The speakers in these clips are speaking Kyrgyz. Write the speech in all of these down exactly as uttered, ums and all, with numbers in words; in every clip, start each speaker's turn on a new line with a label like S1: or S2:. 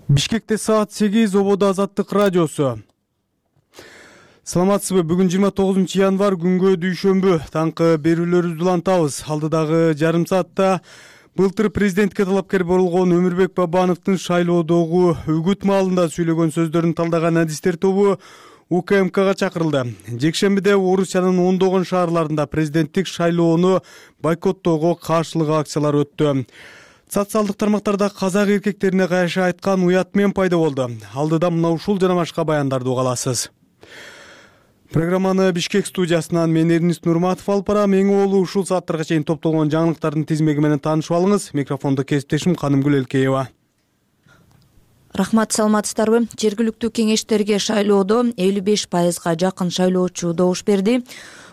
S1: Бишкекте саат сегиз, Ободо Азаттык радиосу. Саламатсызбы? Бүгүн жыйырма тогузунчу январь, күнгө дүйшөмбү. Таңкы берүүлөрүбүздү улантабыз. Алдыдагы жарым саатта былтыр президентке талапкер болгон Өмүрбек Бабановдун шайлоодогу үгүт маалында сүйлөгөн сөздөрүн талдаган адистер тобу У К М Кга чакырылды. Жекшембиде Орусиянын ондогон шаарларында президенттик шайлоону бойкоттоого каршылык акциялар өттү. Социалдык тармактарда казак эркектерине кайшы айткан уят мен пайда болду. Алдыда мына ушул жана башка баяндарды уга аласыз. Программаны Бишкек студиясынан мен Эрнист Нурматов алып барам. Эң оолу ушул сааттарга чейин топтолгон жаңылыктардын тизмеги менен таанышып алыңыз. Микрофондо кесиптешим Канымгүл Элкеева.
S2: Рахмат, саламатсыздарбы? Жергиликтүү кеңештерге шайлоодо элүү беш пайызга жакын шайлоочу добуш берди.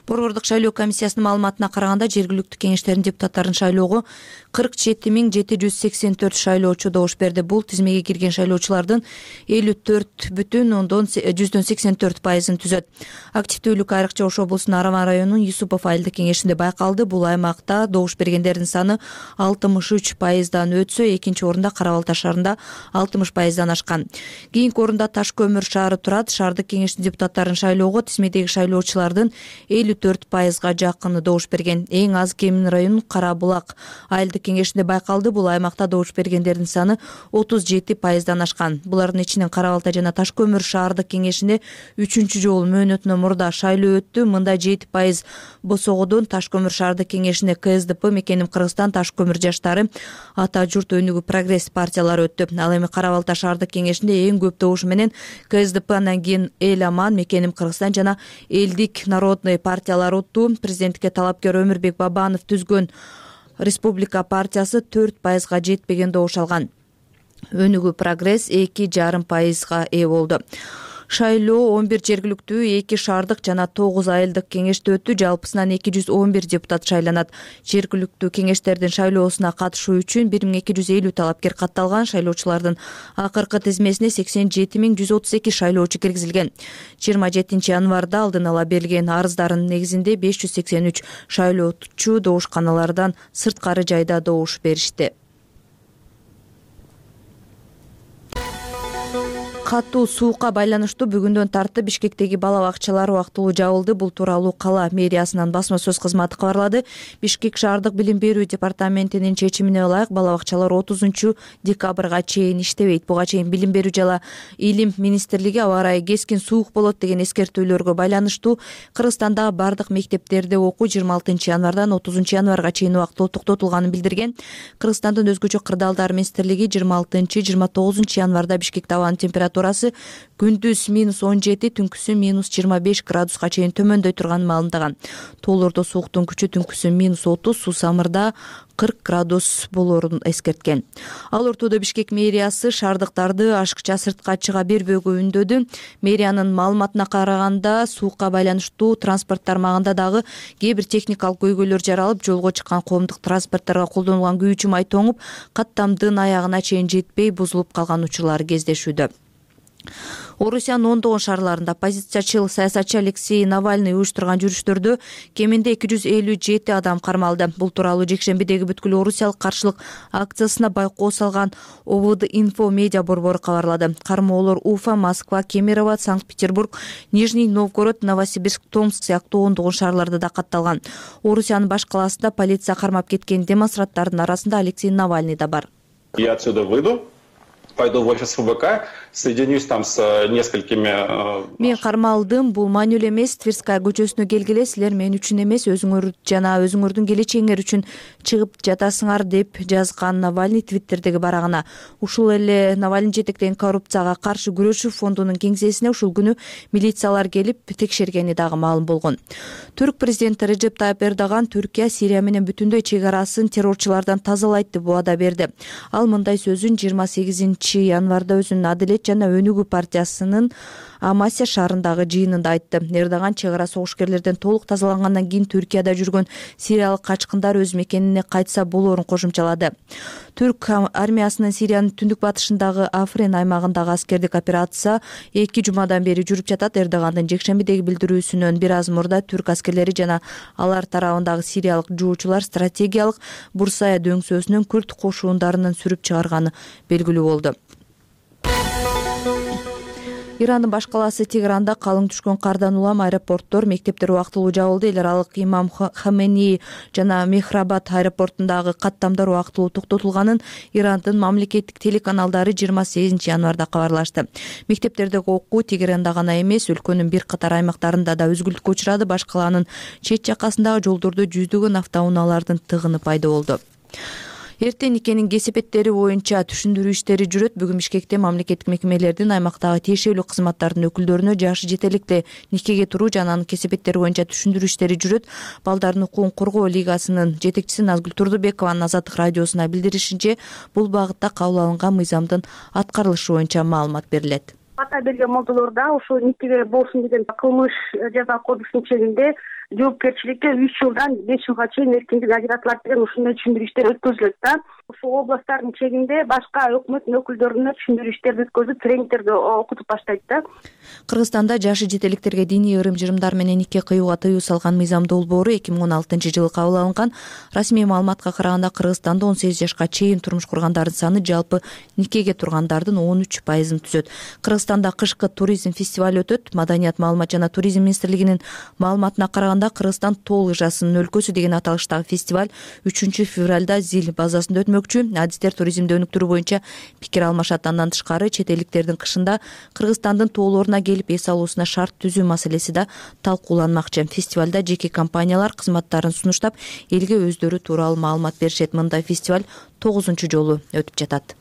S2: Борбордук шайлоо комиссиясынын маалыматына караганда, жергиликтүү кеңештердин депутаттарын шайлоого кырк жети миң жети жүз сексен төрт шайлоочу добуш берди. Бул тизмеге кирген шайлоочулардын элүү төрт бүтүн ондон жүздөн сексен төрт пайызын түзөт. Активдүүлүк айрыкча Ош облусунун Араман районунун Юсупов айылдык кеңешинде байкалды. Бул аймакта добуш бергендердин саны алтымыш үч пайыздан өтсө, экинчи орунда Кара Балта шаарында алтымыш пайыздан ашкан. Кийинки орунда Таш көмүр шаары турат. Шаардык кеңештин депутаттарын шайлоого тизмедеги шайлоочулардын элүү төрт пайызга жакыны добуш берген. Эң аз Кемин районунун Кара Булак айылдык кеңешинде байкалды. Бул аймакта добуш бергендердин саны отуз жети пайыздан ашкан. Булардын ичинен Кара Балта жана Таш көмүр шаардык кеңешинде үчүнчү жолу мөөнөтүнөн мурда шайлоо өттү. Мында жети пайыз босогодон Таш көмүр шаардык кеңешине К С Д П, Мекеним Кыргызстан, Таш көмүр жаштары, Ата журт, Өнүгүү Прогресс партиялары өттү. Ал эми Кара Балта шаардык кеңешинде эң көп добуш менен К С Д П, андан кийин Эл Аман, Мекеним Кыргызстан жана Элдик народный партиялар отту. Президентке талапкер Өмүрбек Бабанов түзгөн Республика партиясы төрт пайызга жетпеген добуш алган. Өнүгүү Прогресс эки жарым пайызга ээ болду. Шайлоо он бир жергиликтүү, эки шаардык жана тогуз айылдык кеңеште өттү. Жалпысынан эки жүз он бир депутат шайланат. Жергиликтүү кеңештердин шайлоосуна катышуу үчүн бир миң эки жүз элүү талапкер катталган. Шайлоочулардын акыркы тизмесине сексен жети миң жүз отуз эки шайлоочу киргизилген. жыйырма жетинчи январда алдын ала берилген арыздардын негизинде беш жүз сексен үч шайлоочу добушканалардан сырткары жайда добуш беришти. Катуу суукка байланыштуу бүгүндөн тартып Бишкектеги бала бакчалар убактылуу жабылды. Бул тууралуу кала мэриясынын басма сөз кызматы кабарлады. Бишкек шаардык билим берүү департаментинин чечимине ылайык бала бакчалар отузунчу декабрга чейин иштебейт. Буга чейин билим берүү жана илим министрлиги аба ырайы кескин суук болот деген эскертүүлөргө байланыштуу Кыргызстандагы бардык мектептерде окуу жыйырма алтынчы январдан отузунчу январга чейин убактылуу токтотулганын билдирген. Кыргызстандын өзгөчө кырдаалдар министрлиги жыйырма алтынчы жыйырма тогузунчу январда Бишкекте абанын температурасы күндүз минус он жети, түнкүсү минус жыйырма беш градуска чейин төмөндөй турганын маалымдаган. Тоолордо сууктун күчү түнкүсү минус отуз, Суусамырда кырк градус болоорун эскерткен. Ал ортодо Бишкек мэриясы шаардыктарды ашыкча сыртка чыга бербөөгө үндөдү. Мэриянын маалыматына караганда, суукка байланыштуу транспорт тармагында дагы кээ бир техникалык көйгөйлөр жаралып, жолго чыккан коомдук транспорттторго колдонулган күйүүчү май тоңуп, каттамдын аягына чейин жетпей бузулуп калган учурлар кездешүүдө. Орусиянын ондогон шаарларында оппозициячыл саясатчы Алексей Навальный уюштурган жүрүштөрдө кеминде эки жүз элүү жети адам кармалды. Бул тууралуу жекшембидеги бүткүл орусиялык каршылык акциясына байкоо салган О В Д Инфо медиа борбору кабарлады. Кармоолор Уфа, Москва, Кемерово, Санкт-Петербург, Нижний Новгород, Новосибирск, Томск сыяктуу ондогон шаарларда да катталган. Орусиянын баш каласында полиция кармап кеткен демонстранттардын арасында Алексей Навальный да бар.
S3: Я отсюда выйду. Пойду в офис Ф Б К, соединюсь там с несколькими.
S2: Мен кармалдым, бул маанилүү эмес. Тверская көчөсүнө келгиле, силер мен үчүн эмес, өзүңөр жана өзүңөрдүн келечегиңер үчүн чыгып жатасыңар деп жазган Навальный Твиттердеги барагына. Ушул эле Навальный жетектеген коррупцияга каршы күрөшүү фондунун кеңсесине ушул күнү милициялар келип текшергени дагы маалым болгон. Түрк президенти Режеп Тайып Эрдоган Түркия Сирия менен бүтүндөй чек арасын террорчулардан тазалайт деп убада берди. Ал мындай сөзүн жыйырма сегизинчи январда өзүнүн Адилет жана Өнүгүү партиясынын Амасия шаарындагы жыйынында айтты. Эрдоган чек ара согушкерлерден толук тазалангандан кийин Түркияда жүргөн сириялык качкындар өз мекенине кайтса болоорун кошумчалады. Түрк армиясынын Сириянын түндүк батышындагы Африн аймагындагы аскердик операция эки жумадан бери жүрүп жатат. Эрдогандын жекшембидеги билдирүүсүнөн бир аз мурда түрк аскерлери жана алар тарабындагы сириялык жуучулар стратегиялык Бурсая дөңсөөсүнөн күрд кошундарынын сүрүп чыгарганы белгилүү болду. Ирандын баш калаасы Тегеранда калың түшкөн кардан улам аэропорттор, мектептер убактылуу жабылды. Эл аралык Имам Хамени жана Мехрабад аэропортундагы каттамдар убактылуу токтотулганын Ирандын мамлекеттик телеканалдары жыйырма сегизинчи январда кабарлашты. Мектептердеги окуу Тегеранда гана эмес, өлкөнүн бир катар аймактарында да үзгүлтүккө учурады. Баш калаанын чет жакасындагы жолдордо жүздөгөн автоунаалардын тыгыны пайда болду. Эртең никенин кесепеттери боюнча түшүндүрүү иштери жүрөт. Бүгүн Бишкекте мамлекеттик мекемелердин аймактагы тиешелүү кызматтардын өкүлдөрүнө жашы жете электе никеге туруу жана анын кесепеттери боюнча түшүндүрүү иштери жүрөт. Балдардын укугун коргоо лигасынын жетекчиси Назгүл Турдубекованын Азаттык радиосуна билдиришинче, бул багытта кабыл алынган мыйзамдын аткарылышы боюнча маалымат берилет.
S4: Ата берген молдолорда ошо никеге болсун деген кылмыш жаза кодексинин чегинде жоопкерчиликке үч жылдан беш жылга чейин эркиндик ажыратылат деген ушундай түшүндүрүү иштери өткөзүлөт да. Ошол областтардын чегинде башка өкмөттүн өкүлдөрүнө түшүндүрүү иштерди өткөзүп, тренингтерди окутуп баштайт да.
S2: Кыргызстанда жашы жете электерге диний ырым-жырымдар менен нике кыюуга тыюу салган мыйзам долбоору эки миң он алтынчы жылы кабыл алынган. Расмий маалыматка караганда Кыргызстанда он сегиз жашка чейин турмуш кургандардын саны жалпы никеге тургандардын он үч пайызын түзөт. Кыргызстанда кышкы туризм фестиваль өтөт. Маданият, маалымат жана туризм министрлигинин маалыматына караганда Кыргызстан тоо лыжасынын өлкөсү деген аталыштагы фестиваль үчүнчү февралда Зил базасында өтмөкчү. Адистер туризмди өнүктүрүү боюнча пикир алмашат. Андан тышкары чет элдиктердин кышында Кыргызстандын тоолоруна келип эс алуусуна шарт түзүү маселеси да талкууланмакчы. Фестивалда жеке компаниялар кызматтарын сунуштап, элге өздөрү тууралуу маалымат беришет. Мындай фестиваль тогузунчу жолу өтүп жатат.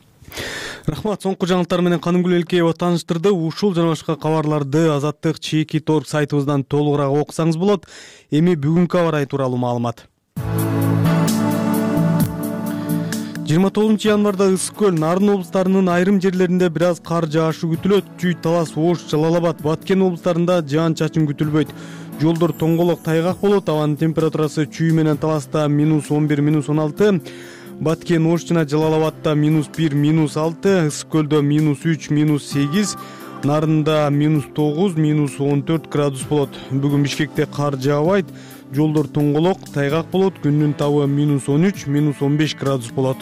S1: Рахмат. Соңку жаңылыктар менен Канымгүл Элкеева тааныштырды. Ушул жана башка кабарларды Азаттык чекит точка орг сайтыбыздан толугураак окусаңыз болот. Эми бүгүнкү аба ырайы тууралуу маалымат. жыйырма тогузунчу январда Ысык көл, Нарын облустарынын айрым жерлеринде бир аз кар жаашы күтүлөт. Чүй, Талас, Ош, Жалал Абад, Баткен облустарында жаан-чачын күтүлбөйт. Жолдор тоңголок, тайгак болот. Абанын температурасы Чүй менен Таласта минус он бир, минус он алты, Баткен, Ош жана Жалал Абадта минус бир, минус алты, Ысык көлдө минус үч, минус сегиз, Нарында минус тогуз, минус он төрт градус болот. Бүгүн Бишкекте кар жаабайт. Жолдор тоңголок, тайгак болот. Күндүн табы минус он үч, минус он беш градус болот.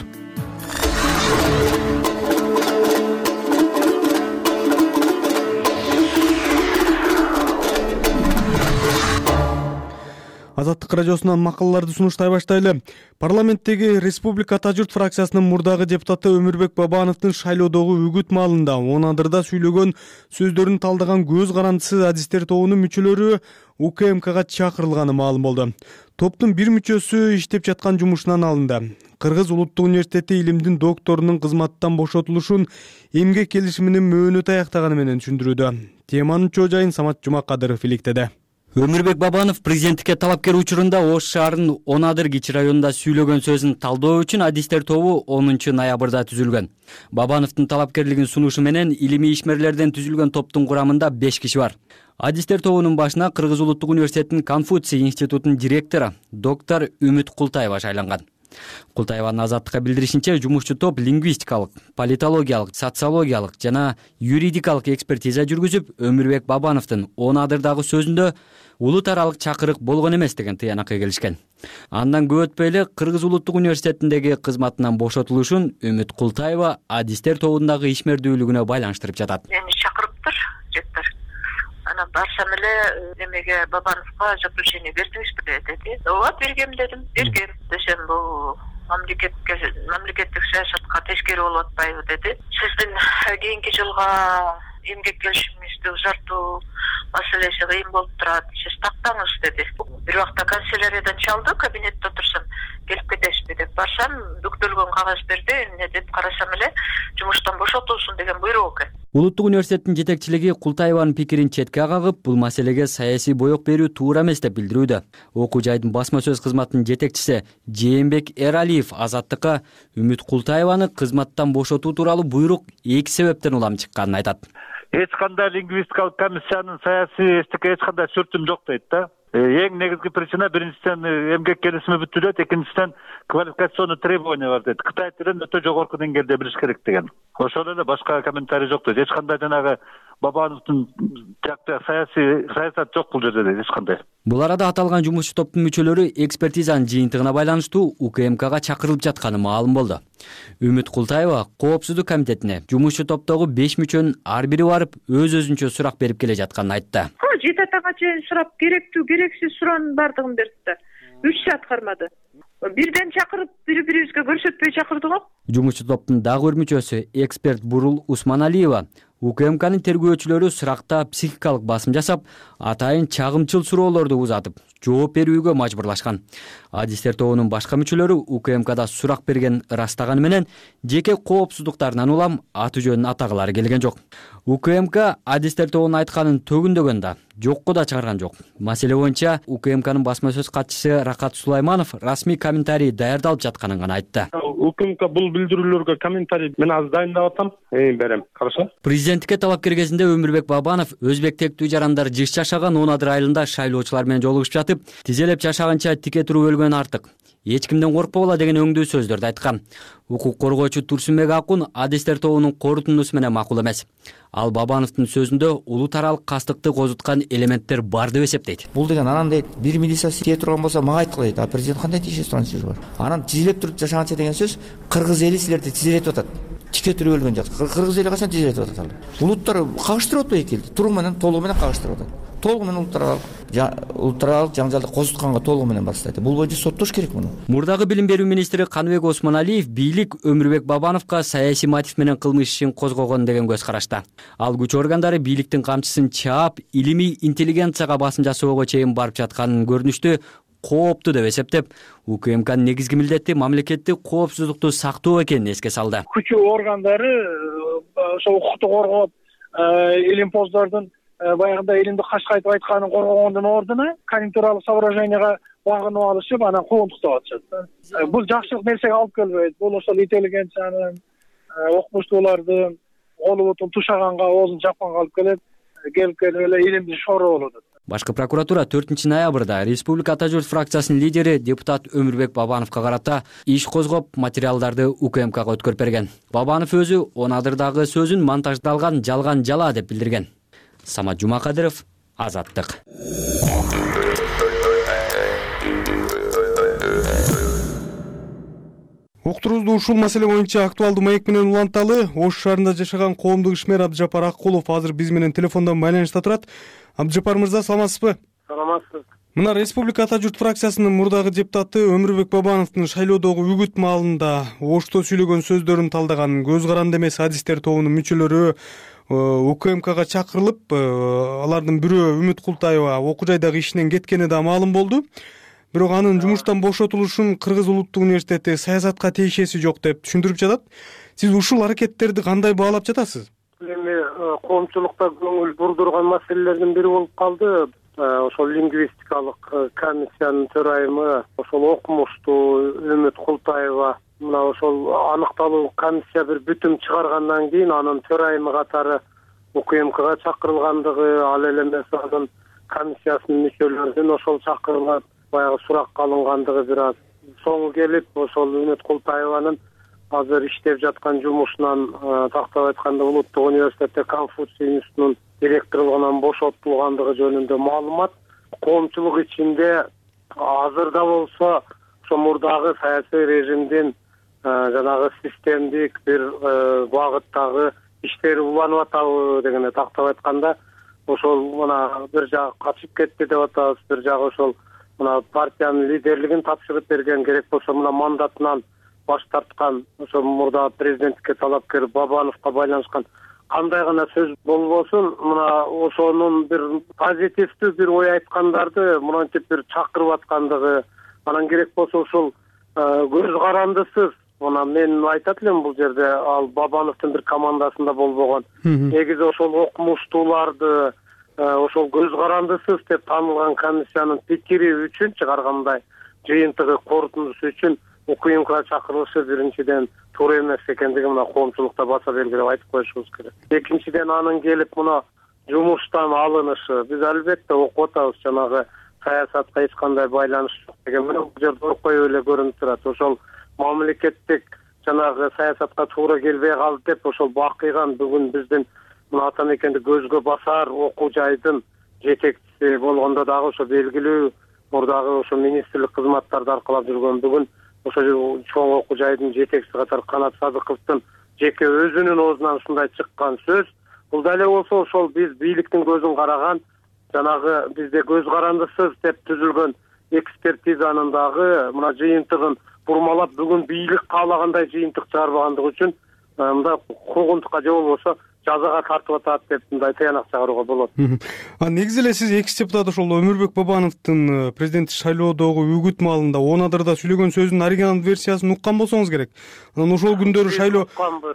S1: Азаттык радиосунан макалаларды сунуштай баштайлы. Парламенттеги Республика Ата журт фракциясынын мурдагы депутаты Өмүрбек Бабановдун шайлоодогу үгүт маалында Онадырда сүйлөгөн сөздөрүн талдаган көз карандысы адистер тобунун мүчөлөрү У К М Кга чакырылганы маалым болду. Топтун бир мүчөсү иштеп жаткан жумушунан алынды. Кыргыз улуттук университети илимдин докторунун кызматтан бошотулушун эмгек келишиминин мөөнөтү аяктаганы менен түшүндүрүүдө. Теманын чоо жайын Самат Жумакадыров иликтеди.
S5: Өмүрбек Бабанов президенттикке талапкер учурунда Ош шаарынын Онадыр кичи районунда сүйлөгөн сөзүн талдоо үчүн адистер тобу онунчу ноябрда түзүлгөн. Бабановдун талапкерлигин сунушу менен илимий ишмерлерден түзүлгөн топтун курамында беш киши бар. Адистер тобунун башына Кыргыз улуттук университетинин Конфуций институтунун директору доктор Үмүт Култаева шайланган. Култаеванын Азаттыкка билдиришинче, жумушчу топ лингвистикалык, политологиялык, социологиялык жана юридикалык экспертиза жүргүзүп, Өмүрбек Бабановдун Онадырдагы сөзүндө улут аралык чакырык болгон эмес деген тыянакка келишкен. Андан көп өтпөй эле Кыргыз улуттук университетиндеги кызматынан бошотулушун Үмүт Култаева адистер тобундагы ишмердүүлүгүнө байланыштырып жатат.
S6: Мени чакырыптыр, жеттер. Анан барсам эле немеге Бабановго заключение бердиңизби деди. Ооба, бергем дедим. Бергем десем, бул мамлекетке мамлекеттик саясатка тескери болуп атпайбы деди. Сиздин кийинки жылга эмгек келишимиңизди узартуу маселеси кыйын болуп турат. Сиз тактаңыз деди. Бир убакта канцеляриядан чалды, кабинетте отурсам, келип кетесизби деп барсам, бүктөлгөн кагаз берди. Эмне деп карасам эле жумуштан бошотулсун деген буйрук экен.
S5: Улуттук университеттин жетекчилиги Култаеванын пикирин четке кагып, бул маселеге саясий боек берүү туура эмес деп билдирүүдө. Окуу жайдын басма сөз кызматынын жетекчиси Жээнбек Эралиев Азаттыкка Үмүт Култаеваны кызматтан бошотуу тууралуу буйрук эки себептен улам чыкканын айтат.
S7: Эч кандай лингвистикалык комиссиянын саясий эстикке эч кандай сүртүм жок дейт да. Эң негизги причина биринчиден эмгек келишими бүттү дейт, экинчиден квалификационный требования бар дейт. Кытай тилин өтө жогорку деңгээлде билиш керек деген. Ошол эле, башка комментарий жок дейт. Эч кандай жанагы Бабановдун тиякта саясий саясат жок бул жерде дейт эч кандай.
S5: Бул арада аталган жумушчу топтун мүчөлөрү экспертизанын жыйынтыгына байланыштуу УКМКга чакырылып жатканы маалым болду. Үмүт Култаева Коопсуздук комитетине жумушчу топтогу беш мүчөнүн ар бири барып өз өзүнчө сурак берип келе жатканын айтты.
S6: Жети атага чейин сурап, керектүү керексиз суроонун баардыгын берди да. үч саат кармады. Бирден чакырып, бири-бирибизге көрсөтпөй чакырды го.
S5: Жумушчу топтун дагы бир мүчөсү эксперт Бурул Усманалиева УКМКнын тергөөчүлөрү суракта психикалык басым жасап, атайын чагымчыл суроолорду узатып, жооп берүүгө мажбурлашкан. Адистер тобунун башка мүчөлөрү УКМКда сурак берген ырастаганы менен жеке коопсуздуктарынан улам аты жөнүн атагылары келген жок. УКМК адистер тобунун айтканын төгүндөгөн да, жокко да чыгарган жок. Маселе боюнча УКМКнын басма сөз катчысы Рахат Сулайманов расмий комментарий даярдалып жатканын гана айтты.
S8: УКМК бул билдирүүлөргө комментарий мен азыр дайындап атам, берем. Хорошо?
S5: Президенттикке талапкер кезинде Өмүрбек Бабанов өзбек тектүү жарандар жыш жашаган он адыр айылында шайлоочулар менен жолугушуп жатып, тизелеп жашаганча тике туруп өлгөн артык. Эч кимден коркпогула деген өңдүү сөздөрдү айткан. Укук коргоочу Турсунбек Акун адистер тобунун корутундусу менен макул эмес. Ал Бабановдун сөзүндө улут аралык кастыкты козуткан элементтер бар деп эсептейт.
S9: Бул деген анан дейт, бир милиция тие турган болсо мага айткыла дейт. А президент кандай тиеше турган сөзү бар? Анан тизелеп туруп жашаганча деген сөз кыргыз эли силерди тизелетип атат. Тике туруп өлгөн жак. Кыргыз эли качан тизелетип атат ал? Улуттар кагыштырып атпайбы эки элди? Туруу менен толугу менен кагыштырып атат. Толугу менен улуттар улуттар жаңжалды козутканга толугу менен бастайт. Бул боюнча соттош керек муну.
S5: Мурдагы билим берүү министри Каныбек Осмоналиев бийлик Өмүрбек Бабановго саясий мотив менен кылмыш ишин козгогон деген көз карашта. Ал күч органдары бийликтин камчысын чаап, илимий интеллигенцияга басым жасоого чейин барып жатканын көрүнүштү кооптуу деп эсептеп, УКМКнын негизги милдети мамлекеттик коопсуздукту сактоо экенин эске салды.
S10: Күч органдары ошо укукту коргоп, илимпоздордун баягында элимди кашкайтып айтканын коргогондун ордуна конъюнктуралык соображенияга багынып алышып, анан куугунтуктап атышат. Бул жакшылык нерсеге алып келбейт. Бул ошол интеллигенциянын, окумуштуулардын колу бутун тушаганга, оозун жапканга алып келет. Келип келип эле илимди шороо болот.
S5: Башкы прокуратура төртүнчү ноябрда Республика Ата журт фракциясынын лидери депутат Өмүрбек Бабановго карата иш козгоп, материалдарды УКМКга өткөрүп берген. Бабанов өзү он адырдагы сөзүн монтаждалган жалган жала деп билдирген. Самат Жумакадыров, Азаттык.
S1: Уктурубузду ушул маселе боюнча актуалдуу маек менен уланталы. Ош шаарында жашаган коомдук ишмер Абдыжапар Аккулов азыр биз менен телефондон байланышта турат. Абдыжапар мырза, саламатсызбы?
S8: Саламатсыз.
S1: Мына Республика Ата журт фракциясынын мурдагы депутаты Өмүрбек Бабановдун шайлоодогу үгүт маалында Ошто сүйлөгөн сөздөрүн талдаган көз каранды эмес адистер тобунун мүчөлөрү УКМКга чакырылып, алардын бирөө Үмүт Култаева окуу жайдагы ишинен кеткени да маалым болду. Бирок анын жумуштан бошотулушун Кыргыз улуттук университети саясатка тиешеси жок деп түшүндүрүп жатат. Сиз ушул аракеттерди кандай баалап жатасыз?
S8: Эми коомчулукта көңүл бурдурган маселелердин бири болуп калды. Ошол лингвистикалык комиссиянын төрайымы, ошол окумуштуу Үмүт Култаева, мына ошол аныкталуу комиссия бир бүтүм чыгаргандан кийин анын төрайымы катары УКМКга чакырылгандыгы, ал эле эмес анын комиссиясынын мүчөлөрүнүн ошол чакырылып баягы суракка алынгандыгы бир аз соңу келип, ошол Үмүт Култаеванын азыр иштеп жаткан жумушунан тактап айтканда улуттук университетте Конфуций институтунун директорлугунан бошотулгандыгы жөнүндө маалымат. Коомчулук ичинде азырда болсо ошо мурдагы саясий режимдин жанагы системдик бир багыттагы иштери уланып атабы дегенде тактап айтканда, ошол мына бир жагы качып кетти деп атабыз, бир жагы ошол мына партиянын лидерлигин тапшырып берген, керек болсо мына мандатынан баш тарткан ошо мурда президенттикке талапкер Бабановго байланышкан кандай гана сөз болбосун, мына ошонун бир позитивдүү бир ой айткандарды мынантип бир чакырып аткандыгы, анан керек болсо ушул көз карандысыз, мына мен айтат элем бул жерде ал Бабановдун бир командасында болбогон. Негизи ошол окумуштууларды ошол көз карандысыз деп таанылган комиссиянын пикири үчүн чыгаргандай жыйынтыгы корутундусу үчүн УКМКга чакырылышы биринчиден туура эмес экендиги мына коомчулукта баса белгилеп айтып коюшубуз керек. Экинчиден анын келип мына жумуштан алынышы, биз албетте окуп атабыз, жанагы саясатка эч кандай байланыш жок деген менен бул жерде окуй эле көрүнүп турат. Ошол мамлекеттик жанагы саясатка туура келбей калды деп ошол бакыйган бүгүн биздин мына ата мекенди көзгө басар окуу жайдын жетекчиси болгондо дагы ошо белгилүү мурдагы ошо министрлик кызматтарды аркалап жүргөн, бүгүн ошо чоң окуу жайдын жетекчиси катары Канат Садыковдун жеке өзүнүн оозунан ушундай чыккан сөз, бул дале болсо ошол биз бийликтин көзүн караган, жанагы бизде көз карандысыз деп түзүлгөн экспертизанын дагы мына жыйынтыгын бурмалап, бүгүн бийлик каалагандай жыйынтык чыгарбагандыгы үчүн мындай куугунтукка же болбосо жазага тартып атат деп мындай тыянак чыгарууга болот.
S1: А негизи эле сиз экс депутат ошол Өмүрбек Бабановдун президенттик шайлоодогу үгүт маалында он адырда сүйлөгөн сөзүнүн оригиналдуу версиясын уккан болсоңуз керек. Анан ошол күндөрү шайлоо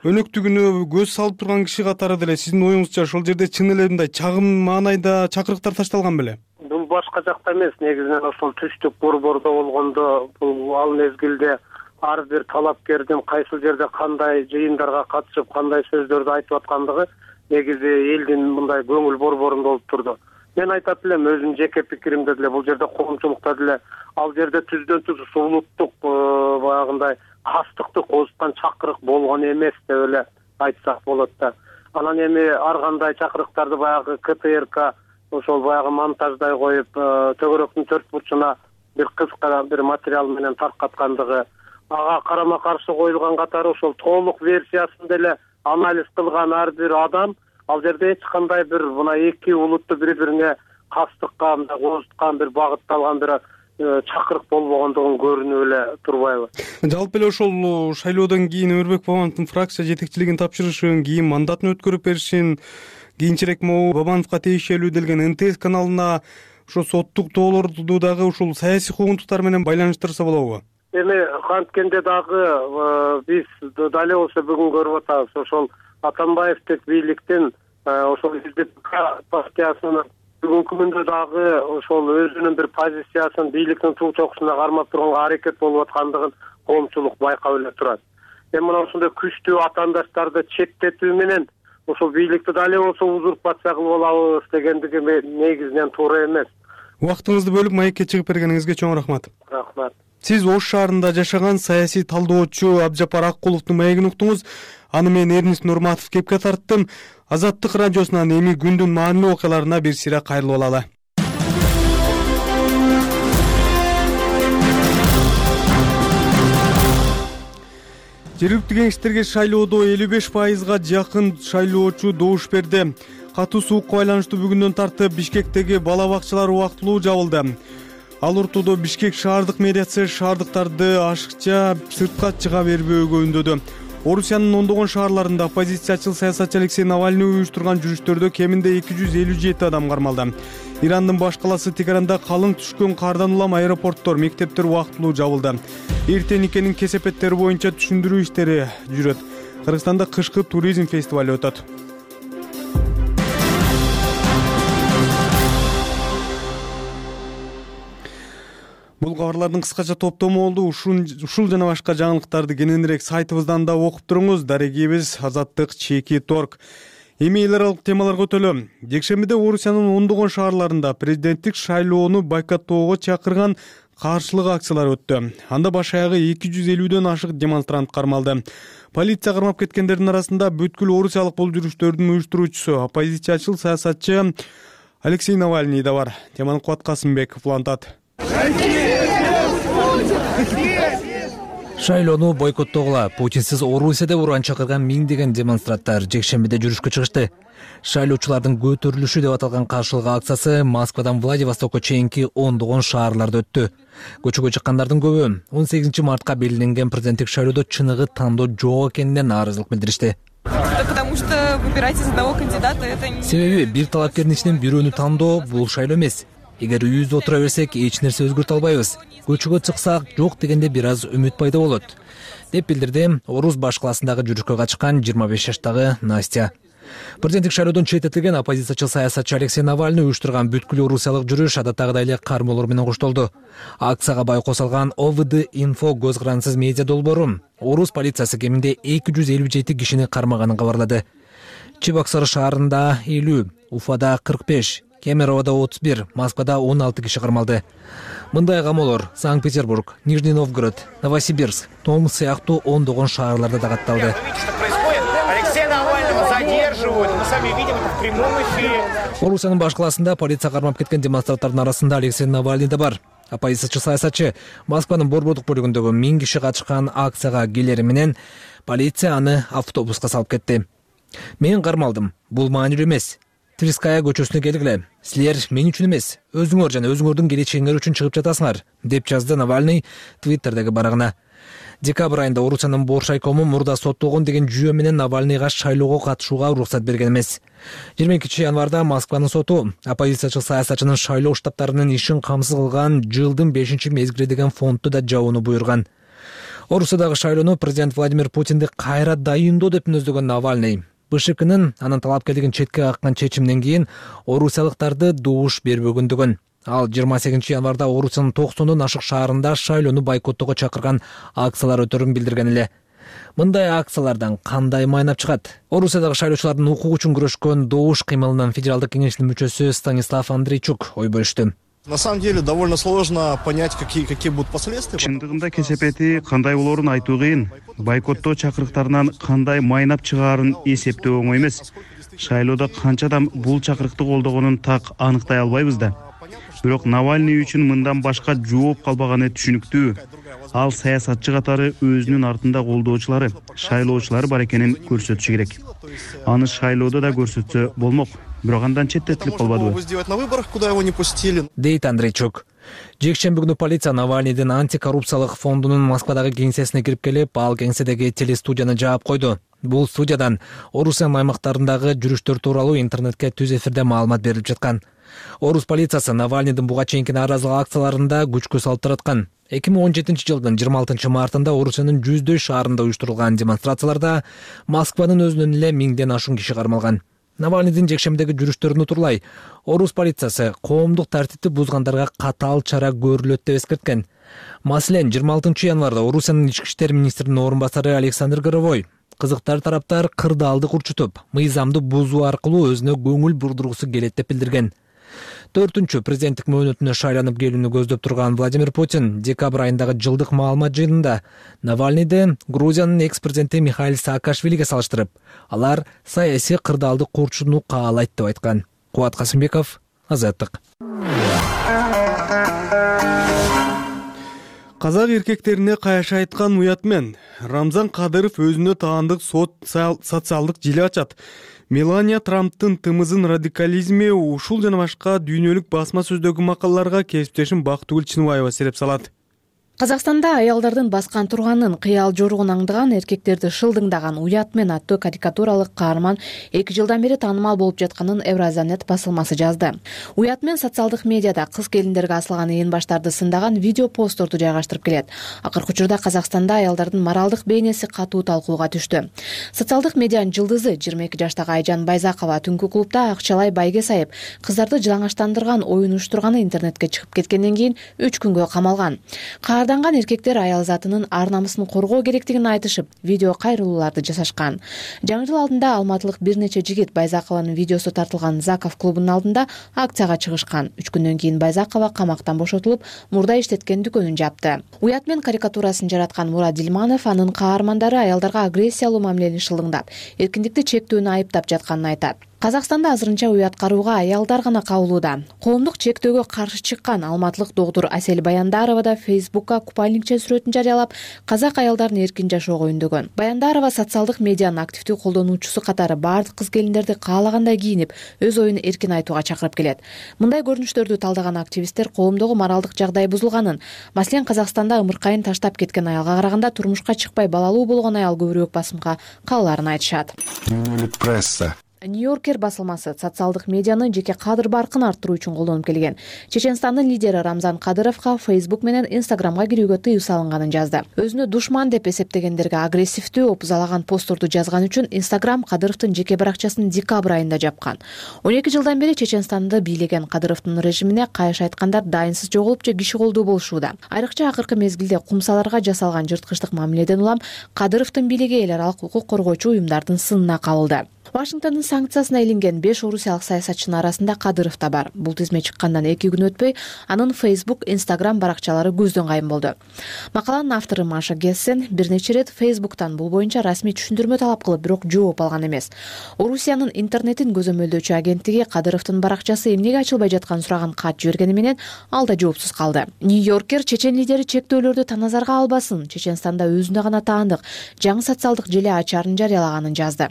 S1: өнөктүгүнө көз салып турган киши катары деле сиздин оюңузча ошол жерде чын эле мындай чагым маанайда чакырыктар ташталган беле?
S8: Бул башка жакта эмес, негизинен ошол түштүк борбордо болгондо бул ал мезгилде ар бир талапкердин кайсыл жерде кандай жыйындарга катышып, кандай сөздөрдү айтып аткандыгы негизи элдин мындай көңүл борборунда болуп турду. Мен айтат элем, өзүмдүн жеке пикиримде деле бул жерде коомчулукта деле ал жерде түздөн түз улуттук баягындай кастыкты козуткан чакырык болгон эмес деп эле айтсак болот да. Анан эми ар кандай чакырыктарды баягы ка тэ эр ка ошол баягы монтаждай коюп, төгөрөктүн төрт бурчуна бир кыска бир материал менен таркаткандыгы, ага карама каршы коюлган катары ошол толук версиясын деле анализ кылган ар бир адам ал жерде эч кандай бир мына эки улутту бири-бирине кастыкка мындай козуткан бир багытталган бир чакырык болбогондугун көрүнүп эле турбайбы?
S1: Жалпы эле ошол шайлоодон кийин Өмүрбек Бабановдун фракция жетекчилигин тапшырышын, кийин мандатын өткөрүп беришин, кийинчерээк могу Бабановго тиешелүү делген эн тэ эс каналына ошо соттук тоолорду дагы ушул саясий куугунтуктар менен байланыштырса болобу?
S8: Эми канткенде дагы биз дале болсо бүгүн көрүп атабыз, ошол Атамбаевдик бийликтин ошол эл дэ пэ ка партиясынын бүгүнкү күндө дагы ошол өзүнүн бир позициясын бийликтин туу чокусуна кармап турганга аракет болуп аткандыгын коомчулук байкап эле турат. Эми мына ошондой күчтүү атаандаштарды четтетүү менен ошол бийликти дале болсо узурпация кылып алабыз дегендиги негизинен туура эмес.
S1: Убактыңызды бөлүп маекке чыгып бергениңизге чоң рахмат.
S8: Рахмат.
S1: Сиз Ош шаарында жашаган саясий талдоочу Абжапар Аккуловдун маегин уктуңуз. Аны мен Эрнис Нурматов кепке тарттым. Азаттык радиосунан эми күндүн маанилүү окуяларына бир сыйра кайрылып алалы. Жергиликтүү кеңештерге шайлоодо элүү беш пайызга жакын шайлоочу добуш берди. Катуу суукка байланыштуу бүгүндөн тартып Бишкектеги бала бакчалар убактылуу жабылды. Ал ортодо Бишкек шаардык мэриясы шаардыктарды ашыкча сыртка чыга бербөөгө үндөдү. Орусиянын ондогон шаарларында оппозициячыл саясатчы Алексей Навальный уюштурган жүрүштөрдө кеминде эки жүз элүү жети адам кармалды. Ирандын баш калаасы Тегеранда калың түшкөн кардан улам аэропорттор, мектептер убактылуу жабылды. Эртең никенин кесепеттери боюнча түшүндүрүү иштери жүрөт. Кыргызстанда кышкы туризм фестивали өтөт. Бул кабарлардын кыскача топтому болду. Ушул жана башка жаңылыктарды кененирээк сайтыбыздан да окуп туруңуз. Дарегибиз Азаттык чеки торг. Эми эл аралык темаларга өтөлү. Жекшембиде Орусиянын ондогон шаарларында президенттик шайлоону бойкоттоого чакырган каршылык акциялар өттү. Анда баш аягы эки жүз элүүдөн ашык демонстрант кармалды. Полиция кармап кеткендердин арасында бүткүл орусиялык бул жүрүштөрдүн уюштуруучусу, оппозициячыл саясатчы Алексей Навальный да бар. Теманы Кубат Касымбеков улантат.
S11: Шайлоону бойкоттогула Путинсиз Орусия деп уран чакырган миңдеген демонстранттар жекшембиде жүрүшкө чыгышты. Шайлоочулардын көтөрүлүшү деп аталган каршылык акциясы Москвадан Владивостокко чейинки ондогон шаарларда өттү. Көчөгө чыккандардын көбү он сегизинчи мартка белгиленген президенттик шайлоодо чыныгы тандоо жок экенине нааразылык билдиришти.
S12: Потому что выбирать из одного кандидата это не...
S11: Себеби бир талапкердин ичинен бирөөнү тандоо бул шайлоо эмес. Эгер үйүздө отура берсек, эч нерсе өзгөртө албайбыз. Көчөгө чыксак, жок дегенде бир аз үмүт пайда болот, деп билдирди Орус баш калаасындагы жүрүшкө качкан жыйырма беш жаштагы Настя. Президенттик шайлоодон четтетилген оппозициячыл саясатчы Алексей Навальный уюштурган бүткүл орусиялык жүрүш адаттагыдай эле кармоолор менен коштолду. Акцияга байкоо салган О В Д Инфо көз карансыз медиа долбоору Орус полициясы кеминде эки жүз элүү жети кишини кармаганын кабарлады. Чебоксары шаарында элүү, Уфада кырк беш, Кемероводо отуз бир, Москвада он алты киши кармалды. Мындай камоолор Санкт-Петербург, Нижний Новгород, Новосибирск, Томск сыяктуу ондогон шаарларда да катталды.
S13: Навального задерживают. Мы сами видим это в прямом эфире.
S11: Орусиянын баш калаасында полиция кармап кеткен демонстранттардын арасында Алексей Навальный да бар. Оппозициячы саясатчы Москванын Борбордук бөлүгүндөгү миң киши катышкан акцияга келери менен полиция аны автобуска салып кетти. Мен кармалдым. Бул маанилүү эмес. Тверская көчөсүнө келгиле. Силер мен үчүн эмес, өзүңөр жана өзүңөрдүн келечегиңер үчүн чыгып жатасыңар, деп жазды Навальный Твиттердеги барагына. Декабрь айында Орусиянын Борш айкому мурда соттолгон деген жүйө менен Навальныйга шайлоого катышууга уруксат берген эмес. жыйырма экинчи январда Москванын соту оппозициячы саясатчынын шайлоо штабтарынын ишин камсыз кылган жылдын бешинчи мезгили деген фонтту да жабууну буйруган. Орусиядагы шайлоону президент Владимир Путинди кайра дайындоо деп мүнөздөгөн Навальный БШКнын анын талапкерлигин четке каккан чечимден кийин орусиялыктарды добуш бербөгөндүгүн. Ал жыйырма сегизинчи январда Орусиянын токсондон ашык шаарында шайлоону бойкоттоого чакырган акциялар өтөрүн билдирген эле. Мындай акциялардан кандай майнап чыгат? Орусиядагы шайлоочулардын укугу үчүн күрөшкөн добуш кыймылынын федералдык кеңешинин мүчөсү Станислав Андрейчук ой бөлүштү.
S14: На самом деле довольно сложно понять, какие какие будут последствия.
S15: Чындыгында кесепети кандай болоорун айтуу кыйын. Бойкоттоо чакырыктарынан кандай майнап чыгаарын эсептөө оңой эмес. Шайлоодо канча адам бул чакырыкты колдогонун так аныктай албайбыз да. Бирок Навальный үчүн мындан башка жооп калбаганы түшүнүктүү. Ал саясатчы катары өзүнүн артында колдоочулары, шайлоочулары бар экенин көрсөтүшү керек. Аны шайлоодо да көрсөтсө болмок. Бирок андан четтетилип калбадыбы?
S14: Сделать на выборах, куда его не пустили.
S11: Дейт Андрейчук. Жекшемби күнү полиция Навальныйдын антикоррупциялык фондунун Москвадагы кеңсесине кирип келип, ал кеңседеги телестудияны жаап койду. Бул студиядан Орусиянын аймактарындагы жүрүштөр тууралуу интернетке түз эфирде маалымат берилип жаткан. Орус полициясы Навальныйдын буга чейинки нааразылык акцияларында күчкө салып тараткан. эки миң он жетинчи жылдын жыйырма алтынчы мартында Орусиянын жүздөй шаарында уюштурулган демонстрацияларда Москванын өзүнөн эле миңден ашуун киши кармалган. Навальныйдын жекшемдеги жүрүштөрүн утурлай, Орус полициясы коомдук тартипти бузгандарга катаал чара көрүлөт деп эскерткен. Маселен, жыйырма алтынчы январда Орусиянын ички иштер министринин орун басары Александр Горовой кызыктар тараптар кырдаалды урчутуп, мыйзамды бузуу аркылуу өзүнө көңүл бурдургусу келет деп билдирген. Төртүнчү президенттик мөөнөтүнө шайланып келүүнү көздөп турган Владимир Путин декабрь айындагы жылдык маалымат жыйынында Навальныйды Грузиянын экс-президенти Михаил Саакашвилиге салыштырып, алар саясий кырдаалды курчууну каалайт деп айткан. Кубат Касымбеков, Азаттык.
S1: Казак эркектерине каяша айткан уят менен Рамзан Кадыров өзүнө таандык социалдык желе ачат. Мелания Трамптын тымызын радикализми ушул жана башка дүйнөлүк басма сөздөгү макалаларга кесиптешим Бактыгүл Чыныбаева сереп салат.
S16: Казакстанда аялдардын баскан турганын, кыял жоругун аңдыган, эркектерди шылдыңдаган Уят мен аттуу карикатуралык каарман эки жылдан бери таанымал болуп жатканын Евразиянет басылмасы жазды. Уят мен социалдык медиада кыз келиндерге асылган ээн баштарды сындаган видео постторду жайгаштырып келет. Акыркы учурда Казакстанда аялдардын моралдык бейнеси катуу талкууга түштү. Социалдык медианын жылдызы жыйырма эки жаштагы Айжан Байзакова түнкү клубда акчалай байге сайып, кыздарды жылаңачтандырган оюн уюштурганы интернетке чыгып кеткенден кийин үч күнгө камалган. Арданган эркектер аял затынын ар намысын коргоо керектигин айтышып, видео кайрылууларды жасашкан. Жаңы жыл алдында алматылык бир нече жигит Байзакованын видеосу тартылган Заков клубунун алдында акцияга чыгышкан. Үч күндөн кийин Байзакова камактан бошотулуп, мурда иштеткен дүкөнүн жапты. Уят мен карикатурасын жараткан Мурат Дилманов анын каармандары аялдарга агрессиялуу мамилени шылдыңдап, эркиндикти чектөөнү айыптап жатканын айтат. Казакстанда азырынча уят карууга аялдар гана кабылууда. Коомдук чектөөгө каршы чыккан алматылык доктур Асель Баяндарова да Фейсбукка купальникче сүрөтүн жарыялап, казак аялдарын эркин жашоого үндөгөн. Баяндарова социалдык медианын активдүү колдонуучусу катары бардык кыз келиндерди каалагандай кийинип, өз оюн эркин айтууга чакырып келет. Мындай көрүнүштөрдү талдаган активисттер коомдогу моралдык жагдай бузулганын, маселен Казакстанда ымыркайын таштап кеткен аялга караганда турмушка чыкпай балалуу болгон аял көбүрөөк басымга калаарын айтышат.
S17: Пресса
S16: Нью-Йоркер басылмасы социалдык медианы жеке кадр баркын арттыруу үчүн колдонуп келген. Чеченстандын лидери Рамзан Кадыровго Facebook менен Instagramга кирүүгө тыюу салынганын жазды. Өзүнө душман деп эсептегендерге агрессивдүү, опузалаган постторду жазган үчүн Instagram Кадыровдун жеке баракчасын декабрь айында жапкан. он эки жылдан бери Чеченстанды бийлеген Кадыровдун режимине кайшы айткандар дайынсыз жоголуп же киши колдуу болушууда. Айрыкча акыркы мезгилде кумсаларга жасалган жырткычтык мамиледен улам Кадыровдун бийлиги эл аралык укук коргоочу уюмдардын сынына кабылды. Вашингтондун санкциясына илинген беш орусиялык саясатчынын арасында Кадыров да бар. Бул тизме чыккандан эки күн өтпөй анын Facebook, Instagram баракчалары көздөн кайым болду. Макаланын автору Маша Гессен бир нече ирет Facebook'тан бул боюнча расмий түшүндүрмө талап кылып, бирок жооп алган эмес. Орусиянын интернетин көзөмөлдөөчү агенттиги Кадыровдун баракчасы эмнеге ачылбай жатканын сураган кат жибергени менен ал да жоопсуз калды. Нью-Йоркер чечен лидери чектөөлөрдү таназарга албасын, Чеченстанда өзүнө гана таандык жаңы социалдык желе ачарын жарыялаганын жазды.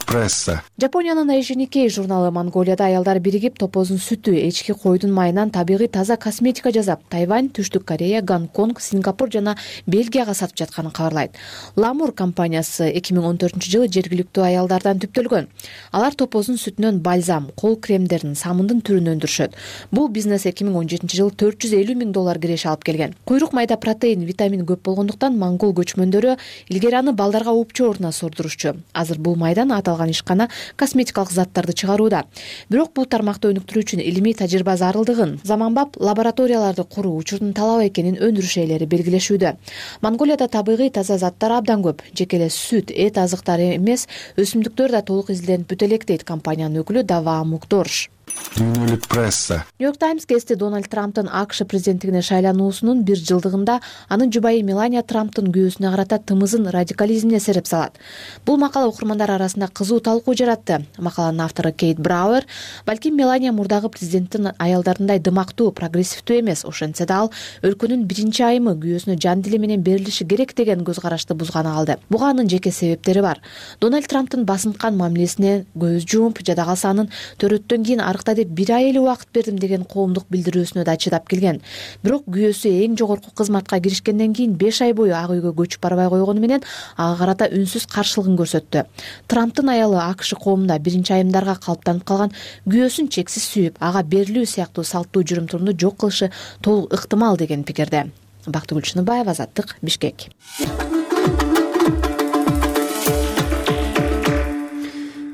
S17: Пресса.
S16: Жапониянын Эйжи журналы Монголияда аялдар биригип топоздун сүтү, эчки койдун майынан табигый таза косметика жасап, Тайвань, Түштүк Корея, Гонконг, Сингапур жана Бельгияга сатып жатканын кабарлайт. Ламур компаниясы эки миң он төртүнчү жылы жергиликтүү аялдардан түптөлгөн. Алар топоздун сүтүнөн бальзам, кол кремдерин, самындын түрүн өндүрүшөт. Бул бизнес эки миң он жетинчи жылы төрт жүз элүү миң доллар киреше алып келген. Куйрук майда протеин, витамин көп болгондуктан монгол көчмөндөрү илгери аны балдарга уупчу ордуна сордурушчу. Азыр бул майдан аталган ишкана косметикалык заттарды чыгарууда. Бирок бул тармакты өнүктүрүү үчүн илимий тажрыйба зарылдыгын, заманбап лабораторияларды куруу учурдун талап экенин өндүрүш ээлери белгилешүүдө. Монголияда табигый таза заттар абдан көп. Жеке эле сүт, эт азыктары эмес, өсүмдүктөр да толук изилденип бүтө элек дейт компаниянын өкүлү Дава Мукдорш.
S17: Пресса.
S16: Нью-Йорк Таймс гезити Дональд Трамптын АКШ президенттигине шайлануусунун бир жылдыгында анын жубайы Мелания Трамптын күйөөсүнө карата тымызын радикализмине сереп салат. Бул макала окурмандар арасында кызуу талкуу жаратты. Макаланын автору Кейт Брауэр, балким Мелания мурдагы президенттин аялдарындай дымактуу, прогрессивдүү эмес, ошентсе да ал өлкөнүн биринчи айымы күйөөсүнө жан дили менен берилиши керек деген көз карашты бузганы калды. Буга анын жеке себептери бар. Дональд Трамптын басынткан мамилесине көз жумуп, жада калса анын төрөттөн кийин арыкта деп бир ай эле убакыт бердим деген коомдук билдирүүсүнө да чыдап келген. Бирок күйөөсү эң жогорку кызматка киришкенден кийин беш ай бою ак үйгө көчүп барбай койгону менен ага карата үнсүз каршылыгын көрсөттү. Трамптын аялы АКШ коомунда биринчи айымдарга калыптанып калган күйөөсүн чексиз сүйүп, ага берилүү сыяктуу салттуу жүрүм-турумду жок кылышы толук ыктымал деген пикирде. Бактыгүл Чыныбаева, Азаттык, Бишкек.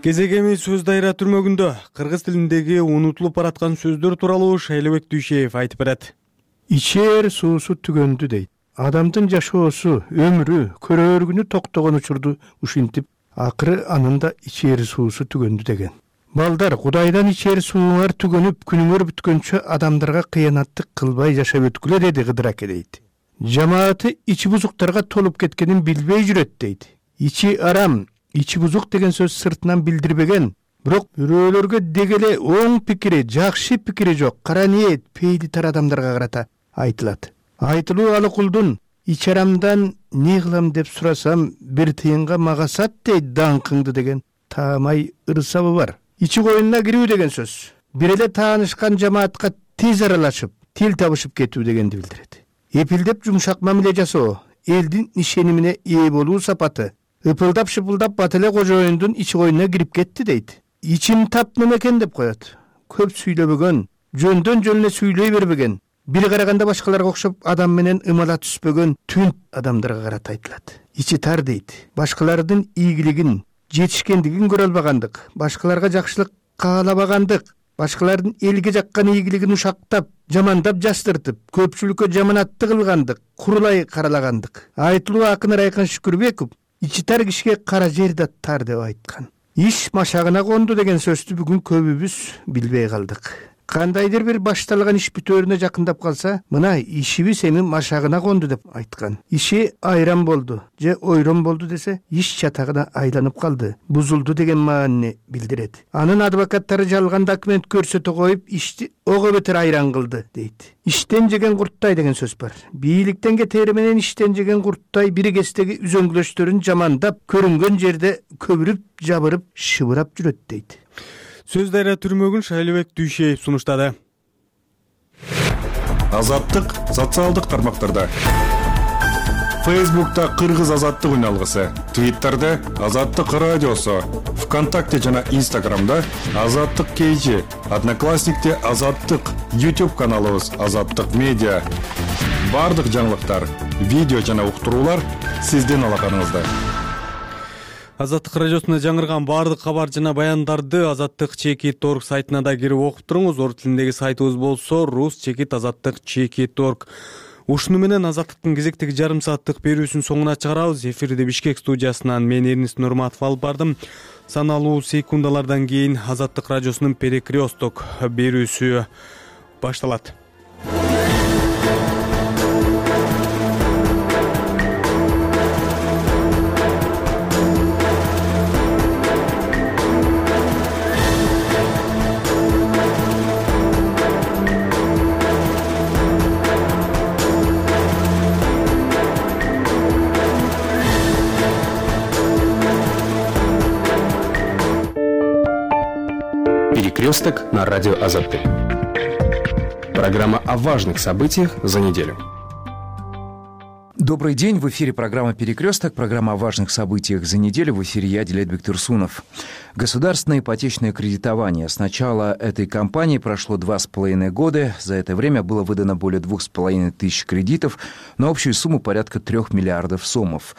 S1: Кезегеми сөз дайра түрмөгүндө кыргыз тилиндеги унутулуп бараткан сөздөр тууралуу Шайлыбек Дүйшеев айтып берет.
S18: Ичээр суусу түгөндү дейт. Адамдын жашоосу, өмүрү, көрөөргүнү токтогон учурду ушинтип, акыры анын да ичээр суусу түгөндү деген. Балдар, Кудайдан ичээр сууңар түгөнүп, күнүңөр бүткөнчө адамдарга кыянаттык кылбай жашап өткүлө деди Кыдыр аке дейт. Жамааты ичи бузуктарга толуп кеткенин билбей жүрөт дейт. Ичи арам, ичи бузук деген сөз сыртынан билдирбеген, бирок бирөөлөргө дегеле оң пикири, жакшы пикири жок, кара ниет, пейли тар адамдарга карата айтылат. Айтылуу алы кулдун ичи арамдан не кылам деп сурасам, бир тыйынга мага сат дейт даңкыңды деген таамай ырсабы бар. Ичи коюнуна кирүү деген сөз бир эле таанышкан жамаатка тез аралашып, тил табышып кетүү дегенди билдирет. Эпилдеп жумшак мамиле жасоо, элдин ишенимине ээ болуу сапаты. Ыпылдап-шыпылдап бат эле кожоюндун ичи коюнуна кирип кетти дейт. Ичим тап немекен деп коет. Көп сүйлөбөгөн, жөндөн жөнүнө сүйлөй бербеген, бир караганда башкаларга окшоп адам менен ымала түспөгөн түнт адамдарга карата айтылат. Ичи тар дейт. Башкалардын ийгилигин, жетишкендигин көрө албагандык, башкаларга жакшылык каалабагандык, башкалардын элге жаккан ийгилигин ушактап, жамандап жастыртып, көпчүлүккө жаманатты кылгандык, курулай каралагандык. Айтылуу акын Райкан Шүкүрбеков ичи тар кишиге кара жер да тар деп айткан. Иш машагына конду деген сөздү бүгүн көбүбүз билбей калдык. Кандайдыр бир башталган иш бүтөөрүнө жакындап калса, мына ишибиз эми машагына конду деп айткан. Иши айран болду же ойрон болду десе, иш чатагына айланып калды, бузулду деген маанини билдирет. Анын адвокаттары жалган документ көрсөтө коюп, ишти ого бетер айран кылды дейт. Иштен жеген курттай деген сөз бар. Бийликтен кетери менен иштен жеген курттай бир кездеги үзөңгүлөштөрүн жамандап, көрүнгөн жерде көбүрүп, жабырып, шыбырап жүрөт дейт.
S1: Сөз дайра түрмөгүн Шайлыбек Дүйшеев сунуштады.
S17: Азаттык социалдык тармактарда. Facebook'ta Кыргыз азаттык үналгысы, Twitter'де Азаттык радиосу, ВКонтакте жана Instagram'да Азаттык кейжи, Одноклассникте Азаттык, YouTube каналыбыз Азаттык медиа. Бардык жаңылыктар, видео жана уктуруулар сиздин алаканыңызда.
S1: Азаттык радиосуна жаңырган баардык кабар жана баяндарды Азаттык чекит точка орг сайтына да кирип окуп туруңуз. Орус тилиндеги сайтыбыз болсо рус чекит азаттык чекит точка орг. Ушуну менен Азаттыктын кезектеги жарым сааттык берүүсүн соңуна чыгарабыз. Эфирде Бишкек студиясынан мен Эрнис Нурматов алып бардым. Саналуу секундалардан кийин Азаттык радиосунун Перекресток берүүсү башталат.
S19: Перекресток на радио Азаттык. Программа о важных событиях за неделю.
S20: Добрый день, в эфире программа «Перекресток», программа о важных событиях за неделю. В эфире я, Дилетбек Турсунов. Государственное ипотечное кредитование. С начала этой кампании прошло два с половиной года. За это время было выдано более двух с половиной тысяч кредитов на общую сумму порядка трех миллиардов сомов.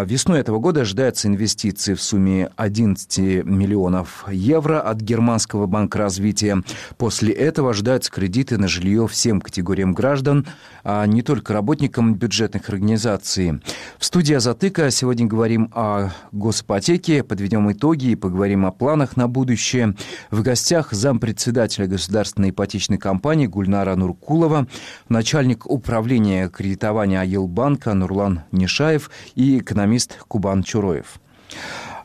S20: Весной этого года ожидаются инвестиции в сумме одиннадцать миллионов евро от Германского банка развития. После этого ожидаются кредиты на жилье всем категориям граждан, а не только работникам бюджетных организаций. В студии Азаттыка сегодня говорим о госипотеке, подведем итоги и поговорим о планах на будущее. В гостях зампредседателя государственной ипотечной компании Гульнара Нуркулова, начальник управления кредитования Айылбанка Нурлан Нишаев и экономист Кубан Чуроев.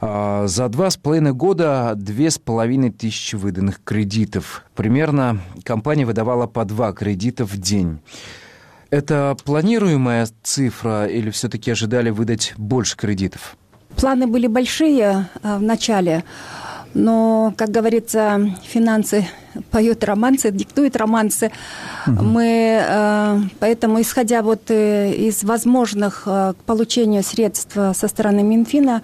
S20: За два с половиной года две с половиной тысячи выданных кредитов. Примерно компания выдавала по два кредита в день. Это планируемая цифра или все-таки ожидали выдать больше кредитов?
S21: Планы были большие в начале, но, как говорится, финансы поют романсы, диктуют романсы. Угу. Мы, поэтому, исходя вот из возможных к получению средств со стороны Минфина,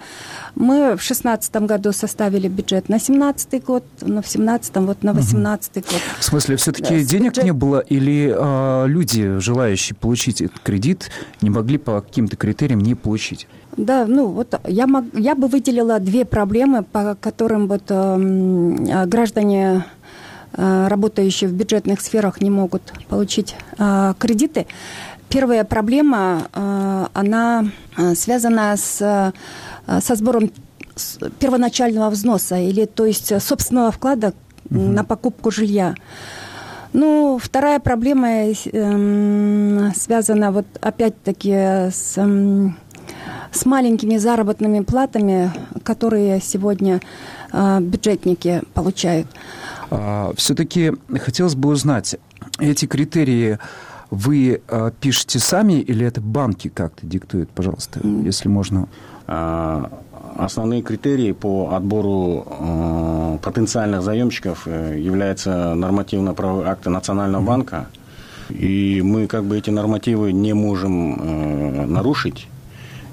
S21: мы в две тысячи шестнадцатом году составили бюджет на семнадцатый год, но в две тысячи семнадцатом вот на восемнадцатый год.
S20: В смысле, все-таки да, денег бюджет... не было или а, люди, желающие получить этот кредит, не могли по каким-то критериям не получить?
S21: Да, ну вот я, мог, я бы выделила две проблемы, по которым вот э, граждане, э, работающие в бюджетных сферах, не могут получить э, кредиты. Первая проблема, э, она связана с, э, со сбором первоначального взноса, или то есть собственного вклада угу. на покупку жилья. Ну, вторая проблема э, связана вот опять-таки с... Э, с маленькими заработными платами, которые сегодня э, бюджетники получают.
S20: А, все-таки хотелось бы узнать, эти критерии вы э, пишете сами или это банки как-то диктуют, пожалуйста, mm. если можно?
S22: А, основные критерии по отбору э, потенциальных заемщиков э, являются нормативно-правовые акты Национального mm. банка, и мы как бы эти нормативы не можем э, нарушить.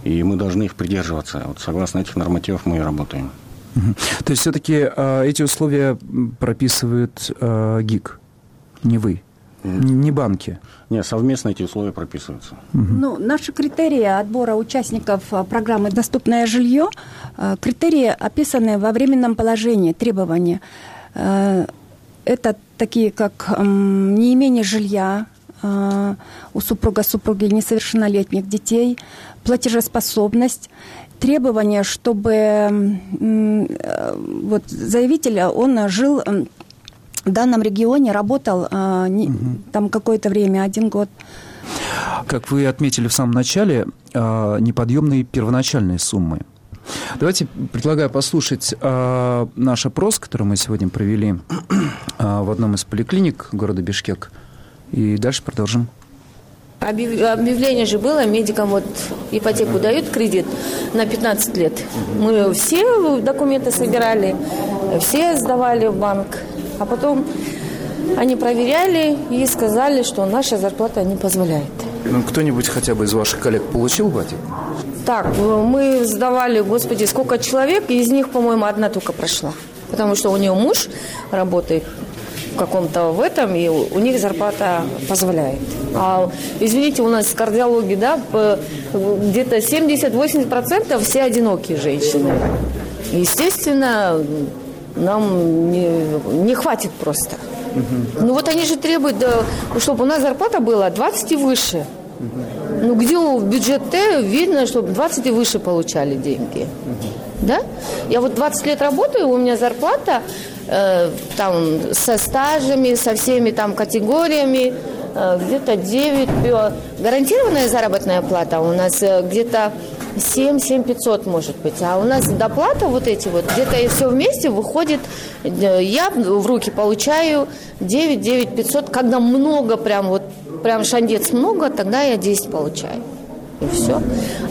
S22: И мы должны их придерживаться. Вот согласно этих нормативов мы и работаем.
S20: Угу. То есть все-таки э, эти условия прописывает э, ГИК, не вы, не, не банки?
S22: Нет, совместно эти условия прописываются.
S21: Угу. Ну, наши критерии отбора участников программы «Доступное жилье», э, критерии описаны во временном положении, требования. Э, это такие, как э, неимение жилья э, у супруга, супруги, несовершеннолетних детей, платежеспособность, требования, чтобы вот, заявитель, он жил в данном регионе, работал не, угу. там какое-то время, один год.
S20: Как вы отметили в самом начале, неподъемные первоначальные суммы. Давайте предлагаю послушать наш опрос, который мы сегодня провели в одном из поликлиник города Бишкек, и дальше продолжим.
S23: Объявление же было, медикам вот ипотеку дают, кредит на пятнадцать лет. Мы все документы собирали, все сдавали в банк, а потом они проверяли и сказали, что наша зарплата не позволяет.
S20: Ну, кто-нибудь хотя бы из ваших коллег получил ипотеку?
S23: Так, мы сдавали, господи, сколько человек, и из них, по-моему, одна только прошла. Потому что у нее муж работает в каком-то в этом, и у них зарплата позволяет. А, извините, у нас в кардиологии, да, где-то семьдесят-восемьдесят процентов все одинокие женщины. Естественно, нам не, не хватит просто. Угу. Ну вот они же требуют, да, чтобы у нас зарплата была двадцать и выше. Угу. Ну где в бюджете видно, чтобы двадцать и выше получали деньги. Угу. Да? Я вот двадцать лет работаю, у меня зарплата э, там со стажами, со всеми там категориями, э, где-то девять. Гарантированная заработная плата у нас э, где-то семь, семь пятьсот может быть. А у нас доплата вот эти вот, где-то и все вместе выходит, э, я в руки получаю девять, девять пятьсот. Когда много, прям вот, прям шандец много, тогда я десять получаю. И все.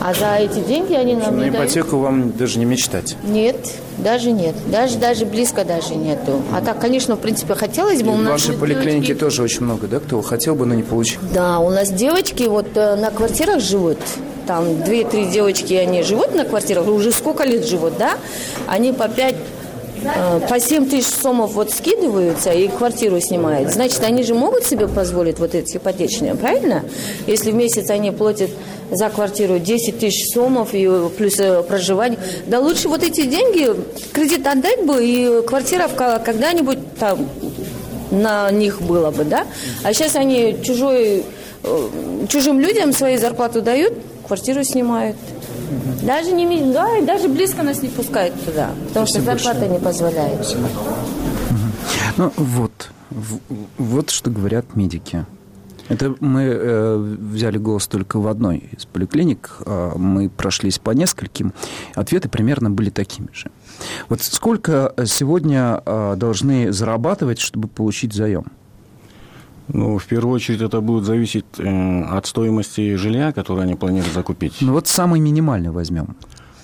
S23: А за эти деньги они нам
S20: на
S23: не дают.
S20: ипотеку вам даже не мечтать?
S23: Нет, даже нет. Даже, даже близко даже нету. А так, конечно, в принципе, хотелось бы.
S20: И
S23: у
S20: в
S23: нас
S20: вашей поликлинике
S23: девочки...
S20: тоже очень много, да, кто хотел бы, но не получил?
S23: Да, у нас девочки вот э, на квартирах живут. Там две-три девочки, они живут на квартирах, уже сколько лет живут, да? Они по пять, э, по семь тысяч сомов вот скидываются и квартиру снимают. Значит, они же могут себе позволить вот эти ипотечные, правильно? Если в месяц они платят за квартиру десять тысяч сомов и плюс проживание. Да лучше вот эти деньги, кредит отдать бы, и квартира когда-нибудь там на них была бы, да? А сейчас они чужой, чужим людям свои зарплату дают, квартиру снимают. Даже не да, и даже близко нас не пускают туда, потому что зарплата не позволяет.
S20: Ну вот, вот что говорят медики. Это мы э, взяли голос только в одной из поликлиник. Э, мы прошлись по нескольким. Ответы примерно были такими же. Вот сколько сегодня э, должны зарабатывать, чтобы получить заем?
S22: Ну, в первую очередь, это будет зависеть э, от стоимости жилья, которое они планируют закупить.
S20: Ну, вот самый минимальный возьмем.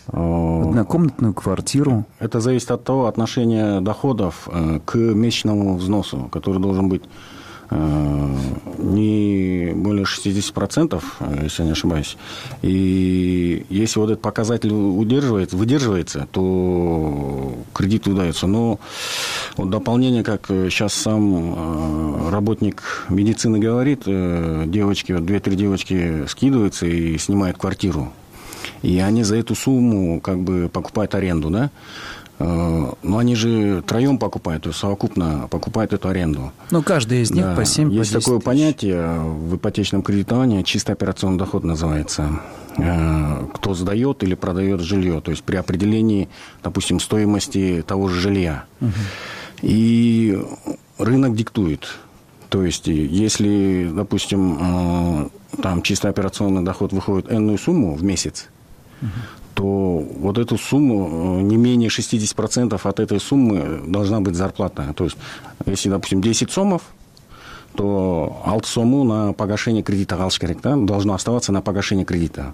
S20: Однокомнатную квартиру.
S22: Это зависит от того отношения доходов э, к месячному взносу, который должен быть не более шестьдесят процентов, если я не ошибаюсь. И если вот этот показатель удерживается, выдерживается, то кредит выдается. Но вот дополнение, как сейчас сам работник медицины говорит, девочки, вот две-три девочки скидываются и снимают квартиру. И они за эту сумму как бы покупают аренду, да? Но они же троем покупают, то есть совокупно покупают эту аренду.
S20: Ну, каждый из них
S22: да.
S20: по семь,
S22: Есть
S20: по десять
S22: такое
S20: тысяч.
S22: понятие в ипотечном кредитовании, чистый операционный доход называется. Кто сдает или продает жилье, то есть при определении, допустим, стоимости того же жилья. Угу. И рынок диктует. То есть, если, допустим, там чистый операционный доход выходит энную сумму в месяц, угу. то вот эту сумму, не менее шестьдесят процентов от этой суммы должна быть зарплата. То есть, если, допустим, десять сомов, то алты сому на погашение кредита да, должно оставаться на погашение кредита.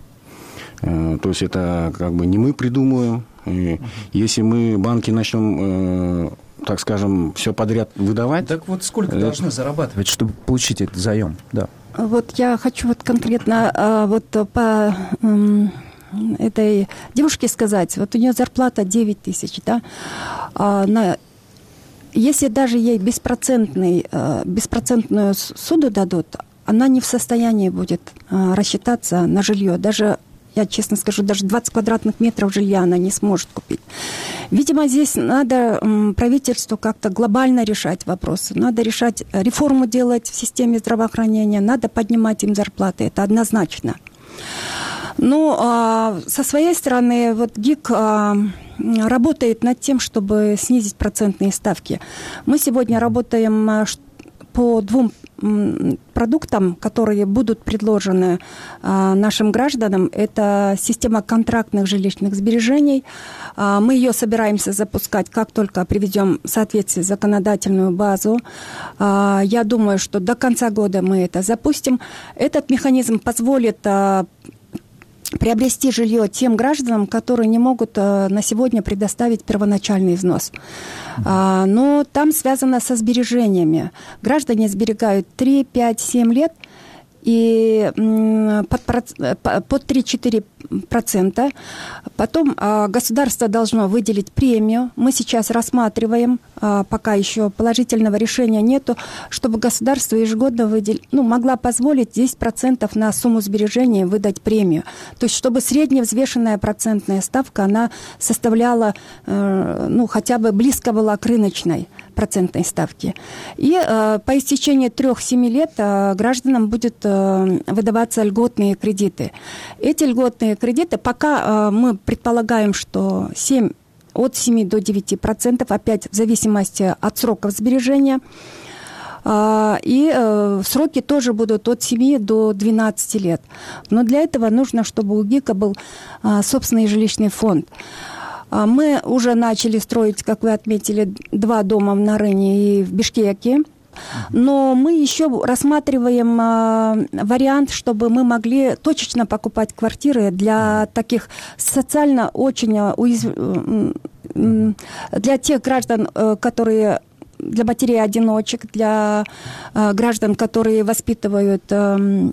S22: То есть, это как бы не мы придумываем. И если мы банки начнем, так скажем, все подряд выдавать...
S20: Так вот сколько
S22: это...
S20: должны зарабатывать, чтобы получить этот заем? Да.
S21: Вот я хочу вот конкретно вот по... этой девушке сказать, вот у нее зарплата девять тысяч, да, а на, если даже ей беспроцентный, беспроцентную суду дадут, она не в состоянии будет рассчитаться на жилье, даже, я честно скажу, даже двадцать квадратных метров жилья она не сможет купить. Видимо, здесь надо правительству как-то глобально решать вопросы, надо решать, реформу делать в системе здравоохранения, надо поднимать им зарплаты, это однозначно. Ну, а со своей стороны, вот ГИК а, работает над тем, чтобы снизить процентные ставки. Мы сегодня работаем по двум продуктам, которые будут предложены а, нашим гражданам. Это система контрактных жилищных сбережений. А, мы ее собираемся запускать, как только приведем в соответствие законодательную базу. А, я думаю, что до конца года мы это запустим. Этот механизм позволит... А, приобрести жилье тем гражданам, которые не могут а, на сегодня предоставить первоначальный взнос. А, но там связано со сбережениями. Граждане сберегают три, пять, семь лет, и м, под, под три-четыре процента. Потом а, государство должно выделить премию. Мы сейчас рассматриваем пока еще положительного решения нету, чтобы государство ежегодно выдел... ну, могла позволить десять процентов на сумму сбережений выдать премию. То есть, чтобы средняя взвешенная процентная ставка, она составляла, э, ну, хотя бы близко была к рыночной процентной ставке. И э, по истечении трех-семи лет э, гражданам будет э, выдаваться льготные кредиты. Эти льготные кредиты, пока э, мы предполагаем, что семь от семи до девяти процентов, опять в зависимости от сроков сбережения. И сроки тоже будут от семи до двенадцати лет. Но для этого нужно, чтобы у ГИКа был собственный жилищный фонд. Мы уже начали строить, как вы отметили, два дома в Нарыне и в Бишкеке. Но мы еще рассматриваем э, вариант, чтобы мы могли точечно покупать квартиры для таких социально очень уязвимых, э, для тех граждан, э, которые, для матерей-одиночек, для э, граждан, которые воспитывают э,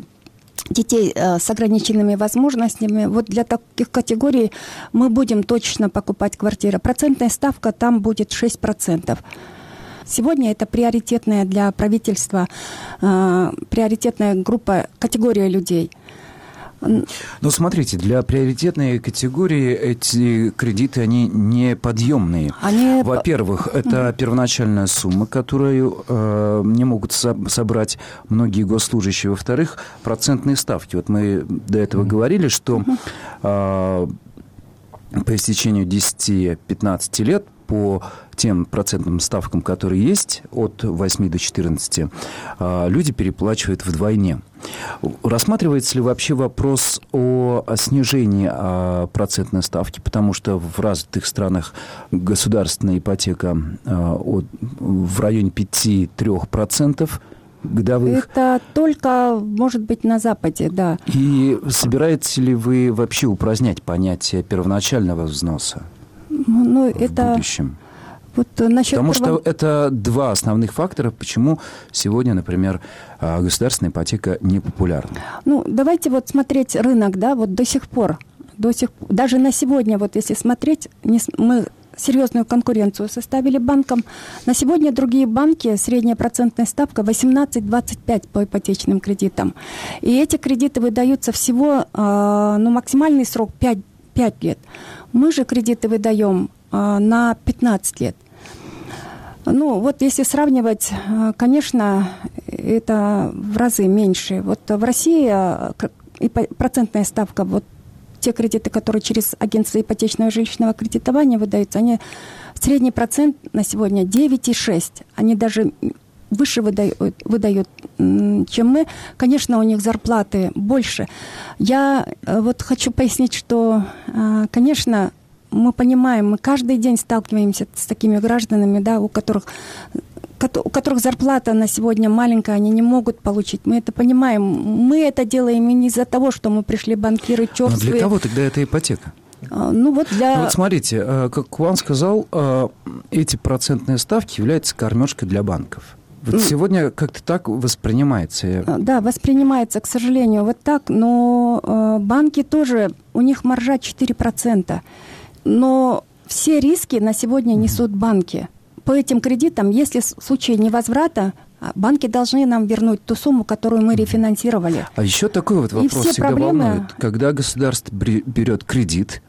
S21: детей э, с ограниченными возможностями. Вот для таких категорий мы будем точечно покупать квартиры. Процентная ставка там будет шесть процентов. Сегодня это приоритетная для правительства, э, приоритетная группа, категория людей.
S20: Но смотрите, для приоритетной категории эти кредиты, они неподъемные. Они... Во-первых, это mm-hmm. первоначальная сумма, которую э, не могут со- собрать многие госслужащие. Во-вторых, процентные ставки. Вот мы до этого mm-hmm. говорили, что э, по истечению десяти-пятнадцати лет по тем процентным ставкам, которые есть, от восьми до четырнадцати, люди переплачивают вдвойне. Рассматривается ли вообще вопрос о снижении процентной ставки? Потому что в развитых странах государственная ипотека в районе пяти-трёх процентов годовых.
S21: Это только, может быть, на Западе, да.
S20: И собираетесь ли вы вообще упразднять понятие первоначального взноса?
S21: Ну, это...
S20: в будущем?
S21: Вот насчет
S20: Потому
S21: права...
S20: что это два основных фактора, почему сегодня, например, государственная ипотека не популярна.
S21: Ну, давайте вот смотреть рынок, да, вот до сих пор, до сих даже на сегодня, вот если смотреть, не... мы серьезную конкуренцию составили банкам. На сегодня другие банки, средняя процентная ставка восемнадцать-двадцать пять по ипотечным кредитам. И эти кредиты выдаются всего, ну, максимальный срок пять лет. Мы же кредиты выдаем э, на пятнадцать лет. Ну, вот если сравнивать, э, конечно, это в разы меньше. Вот в России э, процентная ставка, вот те кредиты, которые через агентство ипотечного жилищного кредитования выдаются, они средний процент на сегодня девять и шесть десятых. Они даже выше выдают, выдают, чем мы. Конечно, у них зарплаты больше. Я вот хочу пояснить, что, конечно, мы понимаем, мы каждый день сталкиваемся с такими гражданами, да, у которых, у которых зарплата на сегодня маленькая, они не могут получить. Мы это понимаем. Мы это делаем не из-за того, что мы пришли банкиры черствые.
S20: Но для кого тогда эта ипотека?
S21: Ну вот для...
S20: Ну, вот смотрите, как Куан сказал, эти процентные ставки являются кормежкой для банков. Вот сегодня как-то так воспринимается.
S21: Да, воспринимается, к сожалению, вот так. Но э, банки тоже, у них маржа четыре процента. Но все риски на сегодня несут банки. По этим кредитам, если в случае невозврата, банки должны нам вернуть ту сумму, которую мы рефинансировали.
S20: А еще такой вот вопрос всегда проблемы... волнует. Когда государство берет кредит,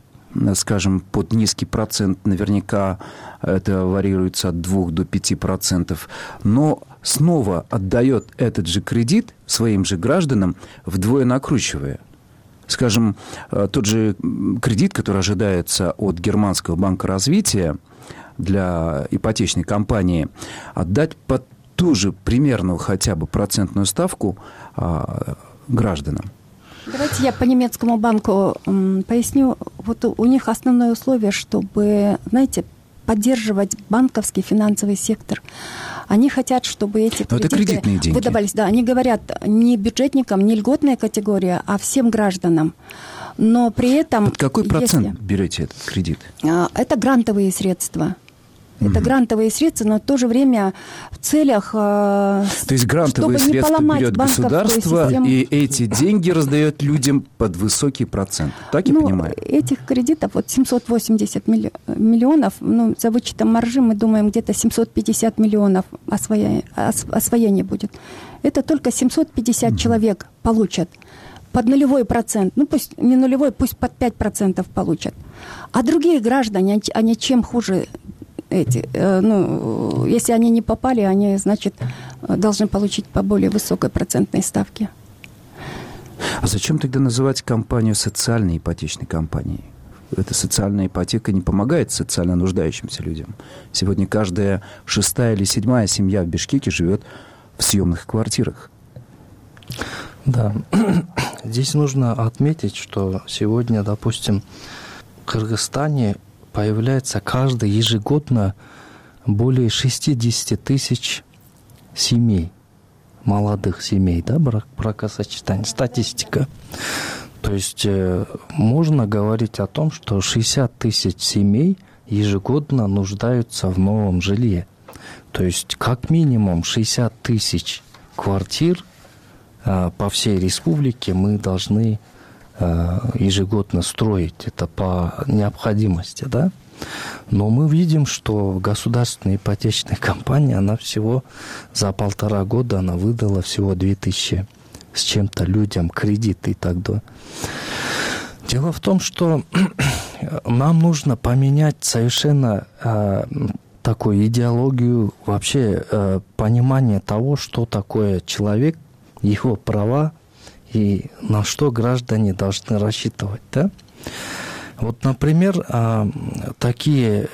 S20: скажем, под низкий процент, наверняка это варьируется от двух до пяти процентов, но снова отдает этот же кредит своим же гражданам, вдвое накручивая. Скажем, тот же кредит, который ожидается от Германского банка развития для ипотечной компании, отдать под ту же примерную хотя бы процентную ставку а, гражданам.
S21: Давайте я по немецкому банку м, поясню. Вот у, у них основное условие, чтобы, знаете, поддерживать банковский финансовый сектор. Они хотят, чтобы эти
S20: Но
S21: кредиты выдавались. Да, они говорят не бюджетникам, не льготная категория, а всем гражданам. Но при этом...
S20: Под какой процент
S21: если...
S20: берете этот кредит?
S21: Это грантовые средства. Это mm-hmm. грантовые средства, но в то же время в целях,
S20: то есть грантовые средства берет государство, систему. И эти деньги раздает людям под высокий процент. Так я
S21: ну,
S20: понимаю?
S21: Этих кредитов, вот семьсот восемьдесят миллионов, ну, за вычетом маржи, мы думаем, где-то семьсот пятьдесят миллионов освоения, освоения будет. Это только семьсот пятьдесят mm-hmm. человек получат под нулевой процент. Ну, пусть не нулевой, пусть под пять процентов получат. А другие граждане, они чем хуже эти, ну, если они не попали, они, значит, должны получить по более высокой процентной ставке.
S20: А зачем тогда называть компанию социальной ипотечной компанией? Эта социальная ипотека не помогает социально нуждающимся людям. Сегодня каждая шестая или седьмая семья в Бишкеке живет в съемных квартирах.
S2: Да, здесь нужно отметить, что сегодня, допустим, в Кыргызстане появляется каждый ежегодно более шестьдесят тысяч семей, молодых семей, да, брак, бракосочетание, статистика. То есть э, можно говорить о том, что шестьдесят тысяч семей ежегодно нуждаются в новом жилье. То есть как минимум шестьдесят тысяч квартир э, по всей республике мы должны ежегодно строить, это по необходимости, да. Но мы видим, что государственная ипотечная компания, она всего за полтора года она выдала всего две тысячи с чем-то людям кредиты и так далее. Дело в том, что нам нужно поменять совершенно э, такую идеологию, вообще э, понимание того, что такое человек, его права, и на что граждане должны рассчитывать, да? Вот, например, такие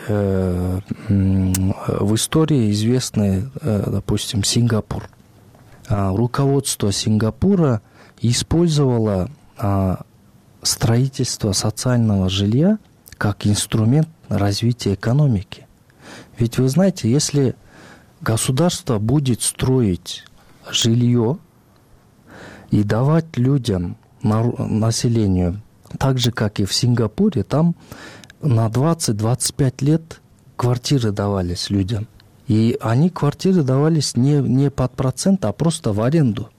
S2: в истории известны, допустим, Сингапур. Руководство Сингапура использовало строительство социального жилья как инструмент развития экономики. Ведь вы знаете, если государство будет строить жилье и давать людям, населению, так же, как и в Сингапуре, там на двадцать-двадцать пять лет квартиры давались людям. И они, квартиры давались не, не под процент, а просто в аренду.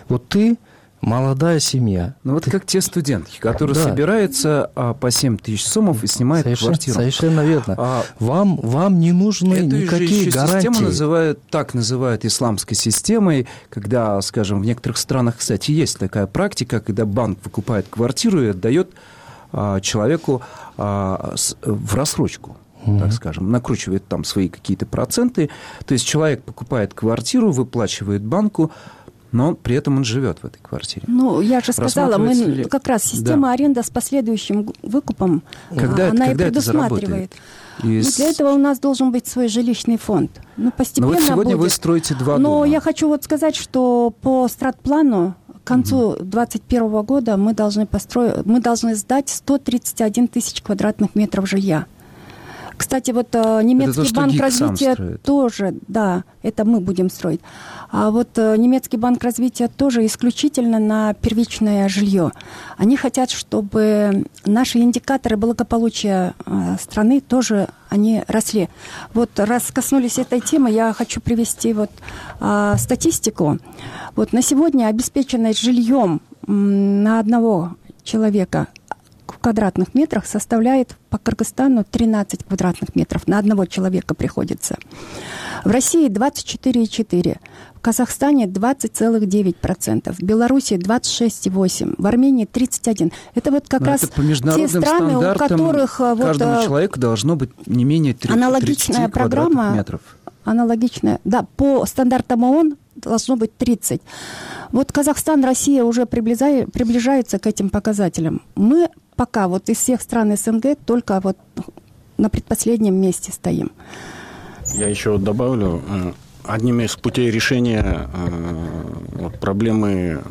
S2: Вот ты, молодая семья.
S20: Ну вот
S2: ты...
S20: как те студентки, которые
S2: да.
S20: собираются а, по семь тысяч сомов и снимают
S2: совершенно,
S20: квартиру.
S2: Совершенно верно.
S20: А...
S2: Вам, вам не нужны
S20: Эту
S2: никакие
S20: же
S2: гарантии.
S20: Систему называют, так называют исламской системой, когда, скажем, в некоторых странах, кстати, есть такая практика, когда банк выкупает квартиру и отдает а, человеку а, с, в рассрочку. Mm-hmm. Так скажем, накручивает там свои какие-то проценты. То есть человек покупает квартиру, выплачивает банку, но при этом он живет в этой квартире.
S21: Ну, я же сказала, мы ли... как раз система да. аренды с последующим выкупом,
S20: когда,
S21: она
S20: когда
S21: и предусматривает.
S20: И...
S21: Ну, для этого у нас должен быть свой жилищный фонд. Ну, постепенно
S20: но вот сегодня
S21: будет.
S20: Вы строите два
S21: но
S20: дома.
S21: Я хочу вот сказать, что по стратплану к концу две тысячи двадцать первого года мы должны построить, мы должны сдать сто тридцать один тысяч квадратных метров жилья. Кстати, вот немецкий
S20: то,
S21: банк развития тоже, да, это мы будем строить. А вот немецкий банк развития тоже исключительно на первичное жилье. Они хотят, чтобы наши индикаторы благополучия страны тоже они росли. Вот раз коснулись этой темы, я хочу привести вот а, статистику. Вот на сегодня обеспеченность жильем на одного человека в квадратных метрах составляет по Кыргызстану тринадцать квадратных метров. На одного человека приходится. В России двадцать четыре и четыре, в Казахстане двадцать целых девять процентов, в Беларуси двадцать шесть и восемь, в Армении тридцать один. Это вот как
S20: Но
S21: раз
S20: это по международным
S21: те страны, у которых
S20: каждому
S21: вот,
S20: человеку должно быть не менее тридцати
S21: аналогичная программа,
S20: метров.
S21: Аналогичная, да, по стандартам ООН должно быть тридцать. Вот Казахстан, Россия уже приближает, приближаются к этим показателям. Мы пока вот из всех стран СНГ только вот на предпоследнем месте стоим.
S22: Я еще добавлю, одним из путей решения проблемы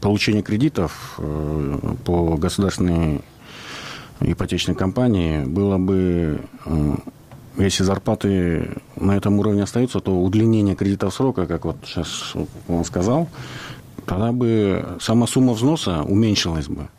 S22: получения кредитов по государственной ипотечной компании было бы, если зарплаты на этом уровне остаются, то удлинение кредитов срока, как вот сейчас он сказал, тогда бы сама сумма взноса уменьшилась бы.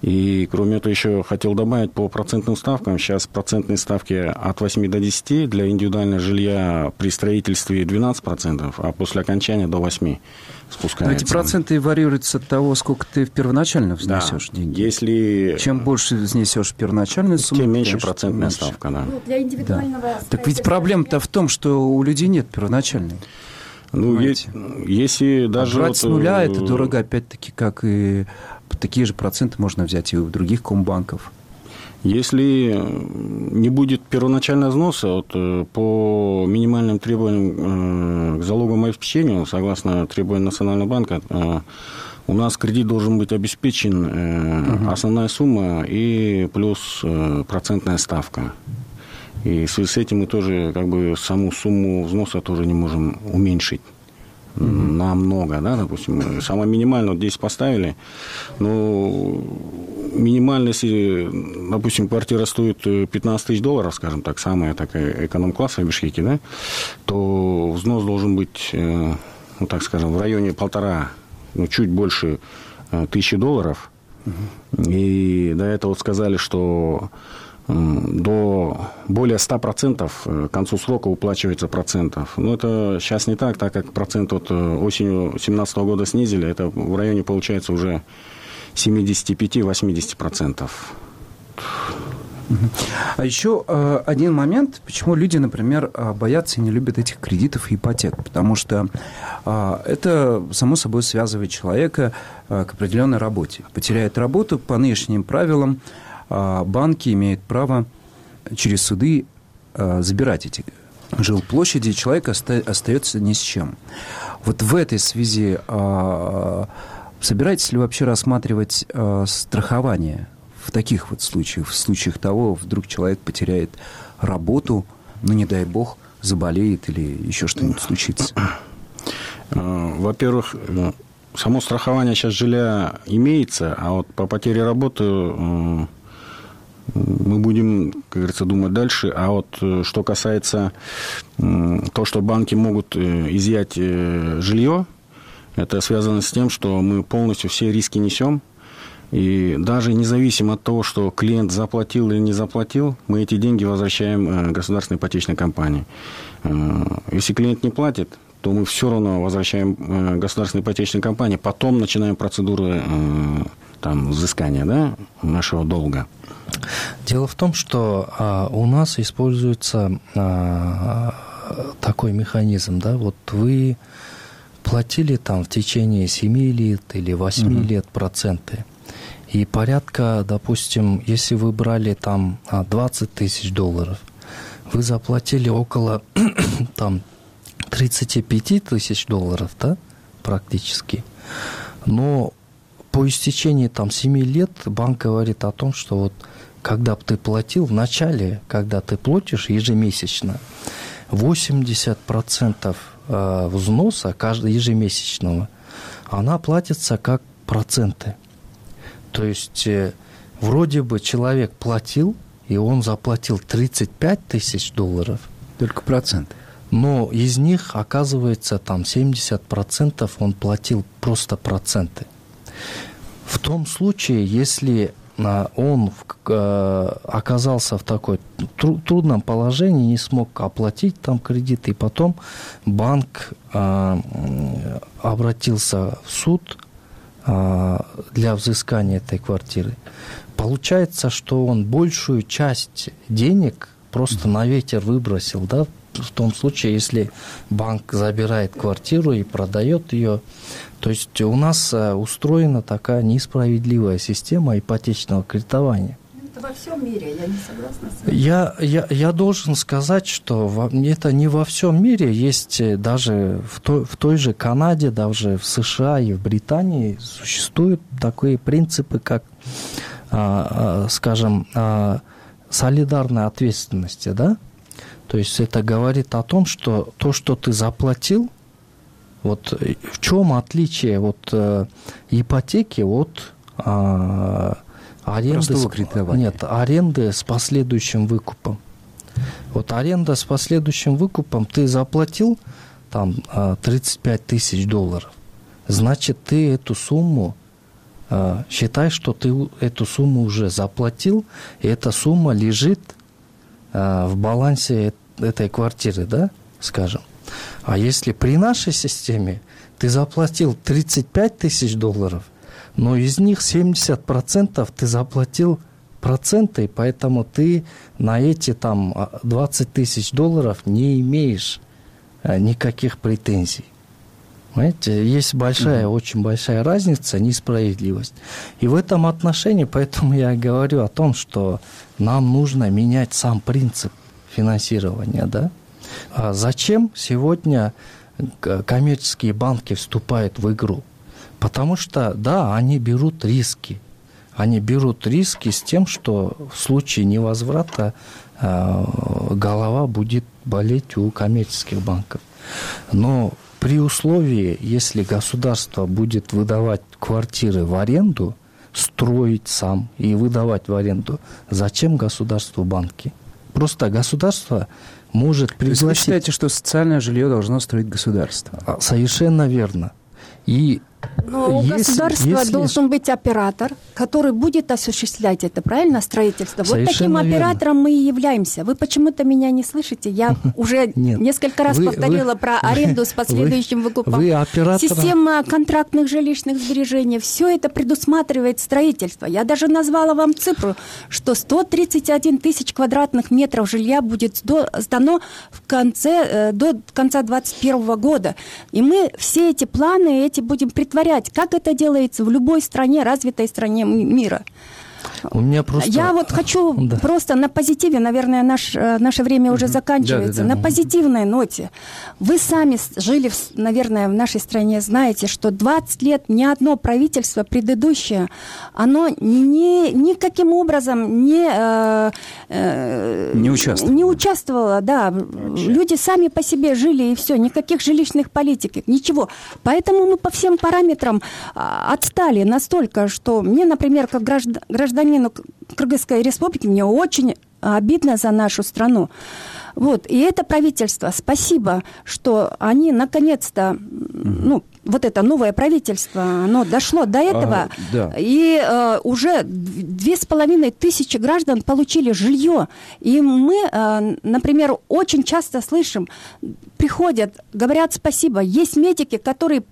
S22: И, кроме этого, еще хотел добавить по процентным ставкам. Сейчас процентные ставки от восьми до десяти, для индивидуального жилья при строительстве двенадцать процентов, а после окончания до восьми спускается.
S20: Но эти проценты варьируются от того, сколько ты первоначально взнесешь, да, деньги.
S22: Если...
S20: Чем больше взнесешь первоначальную сумму,
S22: тем меньше процентная меньше. ставка. Да.
S21: Ну, для индивидуального
S20: да. Так ведь проблема-то в том, что у людей нет первоначальной.
S22: Ну, есть, если даже...
S20: А брать
S22: вот...
S20: с нуля это дорого, опять-таки, как и... Такие же проценты можно взять и у других комбанков.
S22: Если не будет первоначального взноса, вот, по минимальным требованиям к залоговому обеспечению, согласно требованиям Национального банка, у нас кредит должен быть обеспечен угу. основная сумма и плюс процентная ставка. И в связи с этим мы тоже как бы саму сумму взноса тоже не можем уменьшить. Mm-hmm. Намного, да, допустим, самое минимальное вот здесь поставили, но минимально, если, допустим, квартира стоит пятнадцать тысяч долларов, скажем так, самая такая эконом-класса в Бишкеке, да, то взнос должен быть, ну, так скажем, в районе полтора, ну, чуть больше тысячи долларов, mm-hmm. и до этого вот сказали, что до более ста процентов к концу срока уплачивается процентов. Но это сейчас не так, так как процент вот осенью две тысячи семнадцатого года снизили, это в районе получается уже семьдесят пять - восемьдесят процентов.
S20: А еще э, один момент, почему люди, например, боятся и не любят этих кредитов и ипотек. Потому что э, это, само собой, связывает человека э, к определенной работе. Потеряет работу, по нынешним правилам банки имеют право через суды забирать эти жилплощади, и человек остается ни с чем. Вот в этой связи собираетесь ли вообще рассматривать страхование в таких вот случаях, в случаях того, вдруг человек потеряет работу, ну, не дай бог, заболеет или еще что-нибудь случится?
S22: Во-первых, само страхование сейчас жилья имеется, а вот по потере работы мы будем, как говорится, думать дальше. А вот что касается того, что банки могут изъять жилье, это связано с тем, что мы полностью все риски несем. И даже независимо от того, что клиент заплатил или не заплатил, мы эти деньги возвращаем государственной ипотечной компании. Если клиент не платит, то мы все равно возвращаем государственной ипотечной компании, потом начинаем процедуры там, взыскания, да, нашего долга.
S2: Дело в том, что а, у нас используется а, такой механизм, да, вот вы платили там в течение семи лет или восьми угу. лет проценты, и порядка, допустим, если вы брали там двадцать тысяч долларов, вы заплатили около там тридцать пять тысяч долларов, да, практически, но по истечении там семи лет банк говорит о том, что вот когда ты платил в начале, когда ты платишь ежемесячно, восемьдесят процентов взноса каждого ежемесячного, она платится как проценты. То есть вроде бы человек платил, и он заплатил тридцать пять тысяч долларов.
S20: Только проценты.
S2: Но из них, оказывается, там семьдесят процентов он платил просто проценты. В том случае, если он оказался в такой трудном положении, не смог оплатить там кредит, и потом банк обратился в суд для взыскания этой квартиры, получается, что он большую часть денег просто на ветер выбросил, да, в том случае, если банк забирает квартиру и продает ее. То есть у нас устроена такая несправедливая система ипотечного кредитования.
S21: Это во всем мире, я не согласна с вами.
S2: Я, я, я должен сказать, что это не во всем мире. Есть даже в той, в той же Канаде, даже в США и в Британии существуют такие принципы, как, скажем, солидарной ответственности, да? То есть это говорит о том, что то, что ты заплатил, вот в чем отличие вот э, ипотеки от э, аренды с, нет, аренды с последующим выкупом. Вот аренда с последующим выкупом, ты заплатил там тридцать пять тысяч долларов, значит, ты эту сумму считай, что ты эту сумму уже заплатил, и эта сумма лежит в балансе этой квартиры, да, скажем. А если при нашей системе ты заплатил тридцать пять тысяч долларов, но из них семьдесят процентов ты заплатил проценты, поэтому ты на эти там двадцать тысяч долларов не имеешь никаких претензий. Понимаете, есть большая, mm-hmm. очень большая разница, несправедливость. И в этом отношении, поэтому я говорю о том, что нам нужно менять сам принцип финансирования, да? А зачем сегодня коммерческие банки вступают в игру? Потому что, да, они берут риски. Они берут риски с тем, что в случае невозврата э, голова будет болеть у коммерческих банков. Но при условии, если государство будет выдавать квартиры в аренду, строить сам и выдавать в аренду, зачем государству банки? Просто государство может пригласить... То есть вы
S20: считаете, что социальное жилье должно строить государство?
S2: Совершенно верно. И
S21: Но у
S2: если,
S21: государства
S2: если...
S21: должен быть оператор, который будет осуществлять это, правильно, строительство.
S2: Совершенно
S21: вот таким оператором
S2: верно.
S21: Мы и являемся. Вы почему-то меня не слышите. Я уже несколько раз
S2: вы,
S21: повторила
S2: вы,
S21: про аренду с последующим
S2: вы,
S21: выкупом.
S2: Вы оператора...
S21: Система контрактных жилищных сбережений. Все это предусматривает строительство. Я даже назвала вам цифру, что сто тридцать один тысяч квадратных метров жилья будет сдано в конце, до конца двадцать первого года. И мы все эти планы эти будем притворять, как это делается в любой стране, развитой стране мира.
S2: У меня просто...
S21: Я вот хочу да. просто на позитиве, наверное, наш, наше время уже заканчивается, да, да, да. на позитивной ноте. Вы сами жили, наверное, в нашей стране, знаете, что двадцать лет ни одно правительство предыдущее, оно ни, никаким образом не, э, э,
S20: не участвовало.
S21: Не участвовало, да. Вообще. Люди сами по себе жили, и все, никаких жилищных политик, ничего. Поэтому мы по всем параметрам отстали настолько, что мне, например, как граждан, гражданину Кыргызской республики, мне очень обидно за нашу страну. Вот. И это правительство, спасибо, что они наконец-то, ну, вот это новое правительство, оно дошло до этого, а, да. и э, уже две с половиной тысячи граждан получили жилье. И мы, э, например, очень часто слышим, приходят, говорят спасибо. Есть медики, которые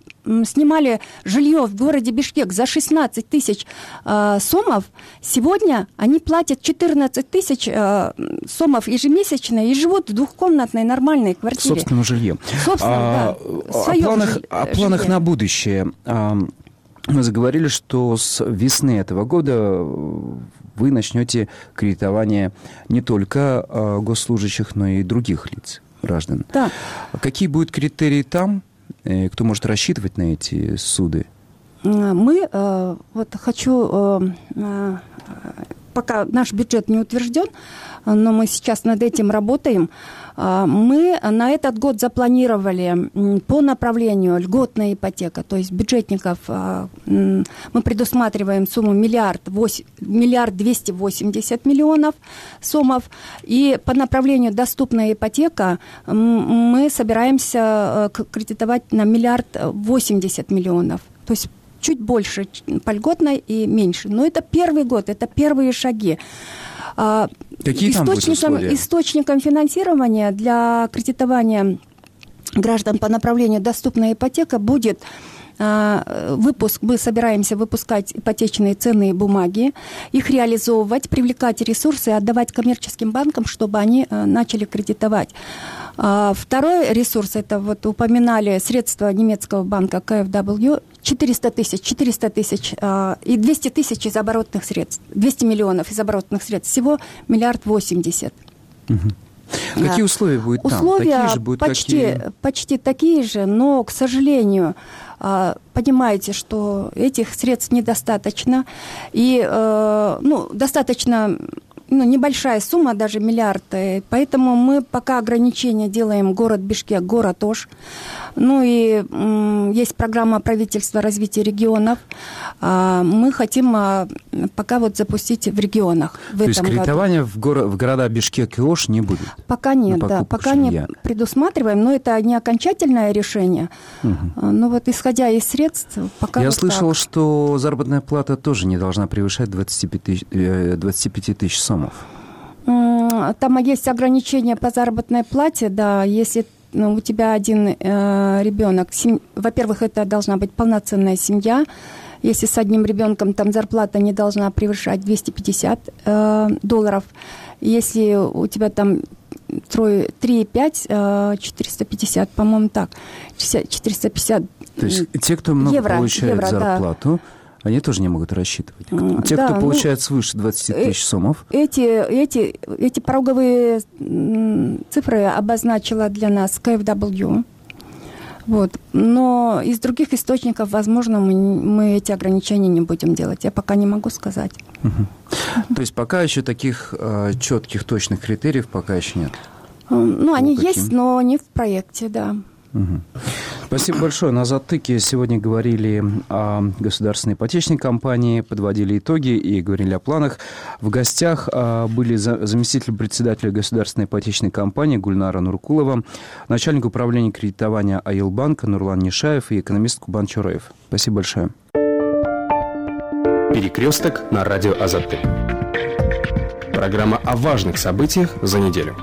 S21: снимали жилье в городе Бишкек за шестнадцать тысяч э, сомов. Сегодня они платят четырнадцать тысяч э, сомов ежемесячно и живут в двухкомнатной нормальной квартире.
S20: Собственном жилье.
S21: Собственно,
S20: а,
S21: да.
S20: О планах, жилье. о планах на будущее. Мы заговорили, что с весны этого года вы начнете кредитование не только госслужащих, но и других лиц, граждан.
S21: Да.
S20: Какие будут критерии там? Кто может рассчитывать на эти суды?
S21: Мы, вот хочу, пока наш бюджет не утвержден, но мы сейчас над этим работаем, мы на этот год запланировали по направлению льготная ипотека, то есть бюджетников мы предусматриваем сумму миллиард, миллиард двести восемьдесят миллионов сомов, и по направлению доступная ипотека мы собираемся кредитовать на миллиард восемьдесят миллионов, то есть чуть больше по льготной и меньше. Но это первый год, это первые шаги.
S20: Какие там будут условия?
S21: Источником финансирования для кредитования граждан по направлению доступная ипотека будет выпуск. Мы собираемся выпускать ипотечные ценные бумаги, их реализовывать, привлекать ресурсы и отдавать коммерческим банкам, чтобы они начали кредитовать. Второй ресурс, это вот упоминали средства немецкого банка ка эф дабл ю, четыреста тысяч, четыреста тысяч и двести тысяч из оборотных средств, двести миллионов из оборотных средств, всего миллиард восемьдесят.
S20: Угу. Какие условия будут там?
S21: Условия
S20: такие же будут,
S21: почти,
S20: какие...
S21: почти такие же, но, к сожалению, понимаете, что этих средств недостаточно, и ну, достаточно ну, небольшая сумма, даже миллиард. Поэтому мы пока ограничения делаем город Бишкек, город Ош. Ну и м, есть программа правительства развития регионов. А, мы хотим а, пока вот запустить в регионах. В
S20: То
S21: этом
S20: есть кредитования
S21: году.
S20: в, горо- в города Бишкек и Ош не будет?
S21: Пока нет, да, пока не
S20: жилья.
S21: предусматриваем, но это не окончательное решение.
S20: Угу.
S21: Но вот исходя из средств, пока
S20: Я
S21: вот
S20: слышал,
S21: так.
S20: что заработная плата тоже не должна превышать двадцать пять тысяч сомов.
S21: М, Там есть ограничения по заработной плате, да, если ну, у тебя один э, ребенок, сем... во-первых, это должна быть полноценная семья. Если с одним ребенком там зарплата не должна превышать двести пятьдесят э, долларов. Если у тебя там трое, три и пять, э, четыреста пятьдесят, по-моему, так, четыреста пятьдесят
S20: То есть те, кто много
S21: евро,
S20: получает
S21: евро,
S20: зарплату,
S21: да.
S20: они тоже не могут рассчитывать. Те,
S21: Да,
S20: кто
S21: ну,
S20: получает свыше двадцати тысяч сомов.
S21: Эти, эти, эти пороговые м, цифры обозначила для нас ка эф дабл ю. Вот. Но из других источников, возможно, мы, мы эти ограничения не будем делать. Я пока не могу сказать.
S20: Угу. То есть пока еще таких э, четких, точных критериев пока еще нет?
S21: Ну, они
S20: каким?
S21: есть, но не в проекте, да.
S20: Угу. Спасибо большое. На «Затыке» сегодня говорили о государственной ипотечной компании, подводили итоги и говорили о планах. В гостях были заместитель председателя государственной ипотечной компании Гульнара Нуркулова, начальник управления кредитования Айылбанка Нурлан Нишаев и экономист Кубан Чураев. Спасибо большое.
S19: Перекресток на радио «Азаттык». Программа о важных событиях за неделю.